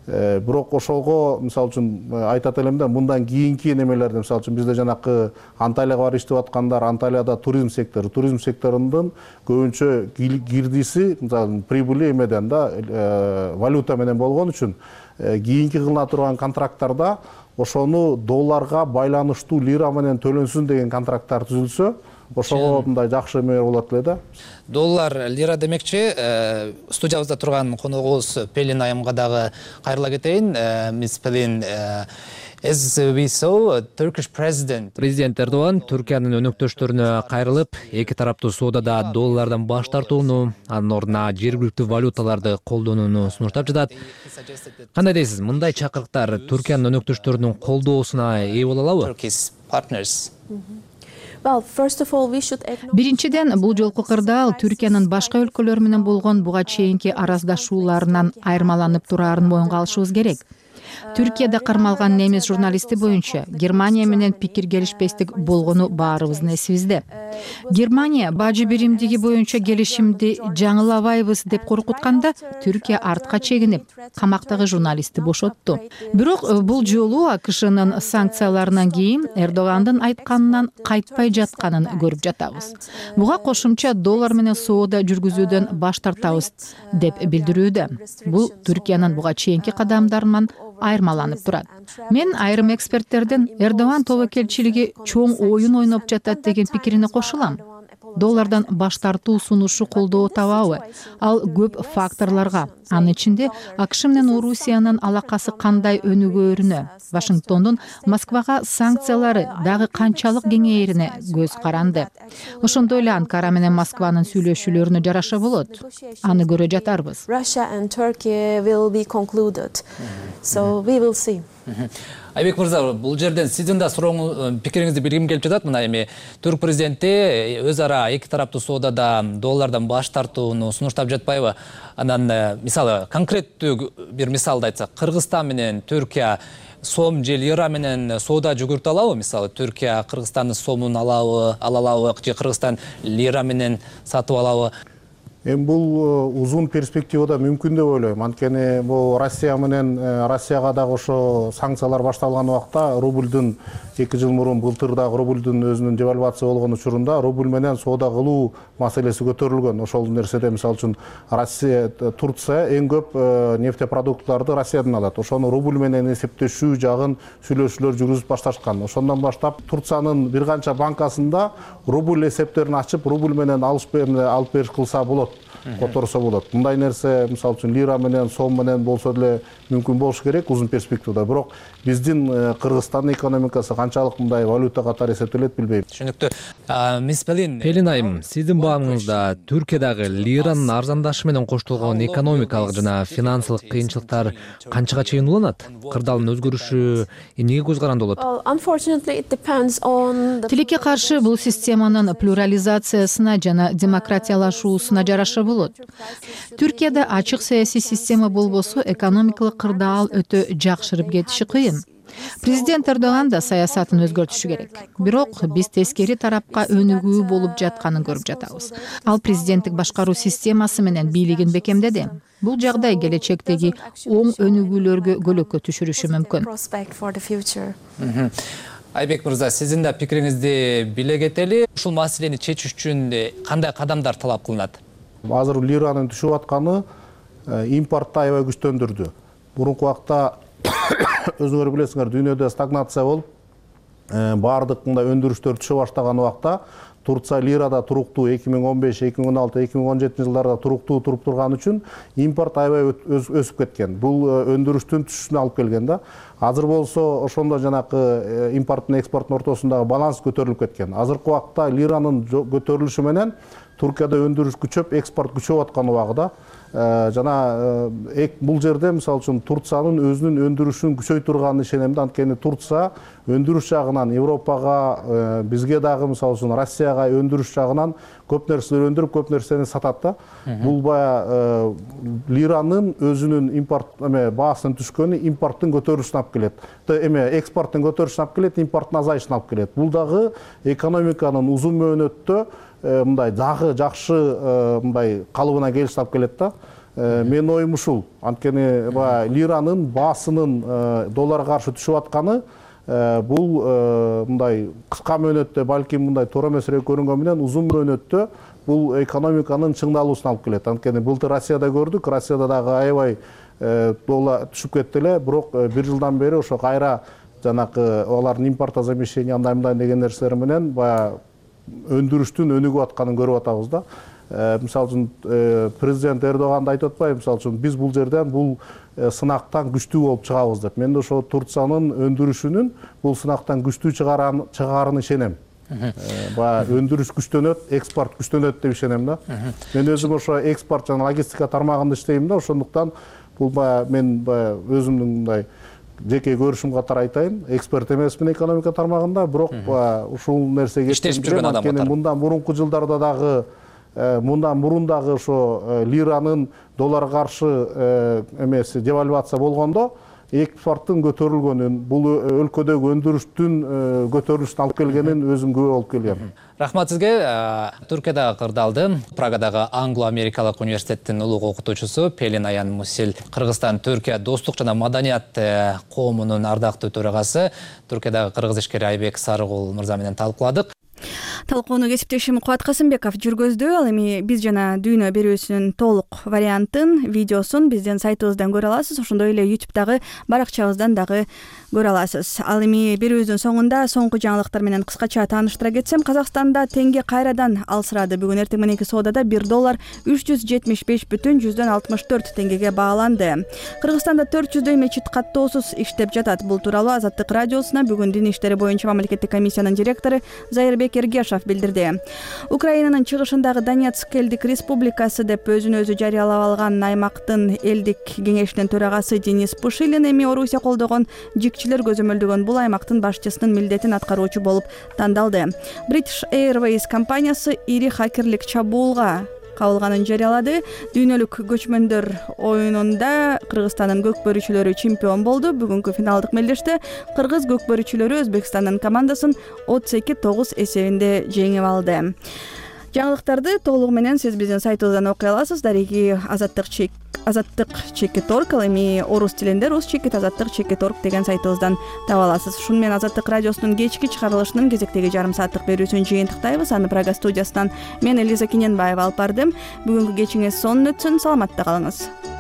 Бирок ошого мисалы үчүн айтат элем да, мындан кийинки немелерде мисалы үчүн бизде жанакы Анталияга барып иштеп аткандар, Анталияда туризм секторунун көбүнчө кирдиси, мисалы прибыли эмеден да, валюта менен болгон үчүн кийинки кылына турган контракттарда ошону долларга байланыштуу лира менен төлөнсүн деген контракттар түзүлсө, ошого мындай жакшы эме болот эле да. Доллар, лира демекчи, студиябызда турган коногубуз Пелин айымга дагы кайрыла кетейин. Мисс Пелин, as we saw, Turkish President Эрдоган Түркиянын өнөктөштөрүнө кайрылып, эки тараптуу соодада доллардан баш тартууну, анын ордуна жергиликтүү валюталарды колдонууну сунуштап жатат. Кандай дейсиз, мындай чакырыктар Түркиянын өнөктөштөрүнүн колдоосуна ээ боло алабы? Биринчиден, бул жолку кырдаал Түркиянын башка өлкөлөр менен болгон буга чейинки араздашууларынан айырмаланып тураарын моюнга алышыбыз керек. Түркияда кармалган немис журналисти боюнча Германия менен пикир келишпестик болгону баарыбыздын эсибизде. Германия бажы биримдиги боюнча келишимди жаңылабайбыз деп коркутканда, Түркия артка чегинип, камактагы журналистти бошотту. Бирок бул жолу АКШнын санкцияларынан кийин Эрдогандын айтканынан кайтпай жатканын көрүп жатабыз. Буга кошумча доллар менен соода жүргүзүүдөн баш тартабыз деп билдирүүдө. Бул Түркиянын буга чейинки кадамдарынан айырмаланып турат. Мен айрым эксперттердин Эрдоган тобокелчилиги чоң оюн ойноп жатат деген пикирине кошулам. Доллардан баш тартуу сунушу колдоо табабы? Ал көп факторлорго, анын ичинде АКШ менен Орусиянын алакасы кандай өнүгөөрүнө, Вашингтондун Москвага санкциялары дагы канчалык кеңейерине көз каранды. Ошондой эле Анкара менен Москванын сүйлөшүүлөрүнө жараша болот. Аны көрө жатарбыз. Russia and Turkey will be concluded. So we will see. Айбек мырза, бул жерден сиздин да пикириңизди билгим келип жатат. Мына эми Түрк президенти өз ара эки тараптуу соодада доллардан баш тартууну сунуштап жатпайбы? Анан мисалы конкреттүү бир мисалды айтсак, Кыргызстан менен Түркия сом же лира менен соода жүгүртө алабы? Мисалы Түркия Кыргызстандын сомун ала алабы же Кыргызстан лира менен сатып алабы? Эми бул узун перспективада мүмкүн деп ойлойм. Анткени бул Россияга дагы ошо санкциялар башталган убакта рубльдун 2 жыл мурун былтыр дагы рубльдун өзүнүн девальвация болгон учурунда рубль менен соода кылуу маселеси көтөрүлгөн. Ошол нерседе мисалы үчүн Турция эң көп нефтепродукттарды Россиядан алат. Ошону рубль менен эсептешүү жагын сүйлөшүүлөр жүргүзүп башташкан. Ошондон баштап Турциянын бир канча банкасында рубль эсептерин ачып, рубль менен алып бериш кылса болот. Которсо болот. Мындай нерсе мисалы үчүн лира менен сом менен болсо деле мүмкүн болуш керек узун перспективада. Бирок биздин Кыргызстандын экономикасы канчалык мындай валюта катары эсептелет билбейм. Түшүнүктүү. Мисс Пелин айым, сиздин баамыңызда Түркиядагы лиранын арзандашы менен коштолгон экономикалык жана финансылык кыйынчылыктар канчага чейин уланат? Кырдаалдын өзгөрүшү эмнеге көз каранды болот? Тилекке каршы бул системанын плюрализациясына жана демократиялашуусуна жараша болот. Түркияда ачык саясий система болбосо экономикалык кырдаал өтө жакшырып кетиши кыйын. Президент Эрдоган да саясатын өзгөртүшү керек. Бирок биз тескери тарапка өнүгүү болуп жатканын көрүп жатабыз. Ал президенттик башкаруу системасы менен бийлигин бекемдеди. Бул жагдай келечектеги оң өнүгүүлөргө көлөкө түшүрүшү мүмкүн. Айбек мырза, сиздин да пикириңизди биле кетели. Ушул маселени чечиш үчүн кандай кадамдар талап кылынат? Азыр лиранын түшүп атканы импортду аябай күчтөндүрдү. Мурунку убакта өзүңөр билесиңер, дүйнөдө стагнация болуп, баардык мындай өндүрүштөр түшө баштаган убакта Турция лирада туруктуу 2015, 2016, 2017 жылдарда туруктуу туруп турган үчүн импорт аябай өсүп кеткен. Бул өндүрүштүн түшүшүнө алып келген да. Азыр болсо ошондо жанакы импорт менен экспорттун ортосундагы баланс көтөрүлүп кеткен. Азыркы убакта лиранын көтөрүлүшү менен Туркияда өндүрүш күчөп, экспорт күчөп аткан убагында жана бул жерде мисалы үчүн Турциянын өзүнүн өндүрүшүн күчөй турганын ишенем да. Анткени Турция өндүрүш жагынан Европага, бизге дагы мисалы үчүн Россияга өндүрүш жагынан көп нерселер өндүрүп, көп нерсени сатат да. Бул баягы лиранын өзүнүн импорт баасынын түшкөнү импорттун көтөрүлүшүнө алып келет. Экспорттун көтөрүлүшүнө алып келет, импорттун азайышына алып келет. Бул дагы экономиканын узун мөөнөттө мындай дагы жакшы мындай калыбына келишине алып келет да. Менин оюм ушул. Анткени лиранын баасынын долларга каршы түшүп атканы бул мындай кыска мөөнөттө балким мындай туура эмесирээк көрүнгөнү менен узун мөөнөттө бул экономиканын чыңдалуусуна алып келет. Анткени былтыр Россияда көрдүк, Россияда дагы аябай доллар түшүп кетти эле, бирок бир жылдан бери ошо кайра жанакы алардын импортозамещение андай деген нерселер менен баягы өндүрүштүн өнүгүп атканын көрүп атабыз да. Мисалы үчүн президент Эрдоган да айтып атпайбы, мисалы үчүн биз бул жерден бул сынактан күчтүү болуп чыгабыз деп. Мен ошо Турциянын өндүрүшүнүн бул сынактан күчтүү чыгаарына ишенем. Өндүрүш күчтөнөт, экспорт күчтөнөт деп ишенем да. Мен өзүм ошо экспорт жана логистика тармагында иштейм да, ошондуктан бул мен өзүмдүн мындай жеке көрүшүм катары айтайын, эксперт эмесмин экономика тармагында, бирок ушул нерсеге иштешип жүргөн адам катары. Мындан мурунку жылдарда дагы ошо лиранын долларга каршы эмеси девальвация болгондо экспорттун көтөрүлгөнүн, бул өлкөдөгү өндүрүштүн көтөрүлүшүнө алып келгенин өзүм күбө болуп келгем. Рахмат сизге. Түркиядагы кырдаалды Прагадагы Англо-Америкалык университеттин улуг окутуучусу Пелин Аян Мусил, Кыргызстан Түркия достук жана маданият коомунун ардактуу төрагасы, Түркиядагы кыргыз ишкери Айбек Сарыгул мырза менен талкууладык. Талкууну кесиптешим Кубат Касымбеков жүргөздү. Ал эми биз жана дүйнө берүүсүнүн толук вариантын, видеосун биздин сайтыбыздан көрө аласыз. Ошондой эле YouTube'дагы баракчабыздан дагы көрө аласыз. Ал эми берүүбүздүн соңунда соңку жаңылыктар менен кыскача тааныштыра кетсем, Казакстанда теңге кайрадан алсырады. Бүгүн эртең мененки соодада $1 375,64 теңгеге бааланды. Кыргызстанда 400 мечит каттоосуз иштеп жатат. Бул тууралуу Азаттык радиосуна бүгүн Дин иштери боюнча мамлекеттик комиссиянын директору Зайырбек Олег Ергешов билдирди. Украинанын чыгышындагы Донецк элдик республикасы деп өзүн өзү жарыялап алган аймактын элдик кеңешинин төрагасы Денис Пушилин эми Орусия колдогон жикчилер көзөмөлдөгөн бул аймактын башчысынын милдетин аткаруучу болуп тандалды. British Airways компаниясы ири хакерлик чабуулга кабылганын жарыялады. Дүйнөлүк көчмөндөр оюнунда Кыргызстандын көкбөрүчүлөрү чемпион болду. Бүгүнкү финалдык мелдеште кыргыз көкбөрүчүлөрү Өзбекстандын командасын 32-9 эсебинде жеңип алды. Жаңылыктарды толугу менен сиз биздин сайтыбыздан окуй аласыз. Дареги азаттык чекит.org, ал эми орус тилинде rus-azattik.org деген сайтыбыздан таба аласыз. Ушуну менен Азаттык радиосунун кечки чыгарылышынын кезектеги жарым сааттык берүүсүн жыйынтыктайбыз. Аны Прага студиясынан мен Элиза Кененбаева алып бардым. Бүгүнкү кечиңиз сонун өтсүн, саламатта калыңыз.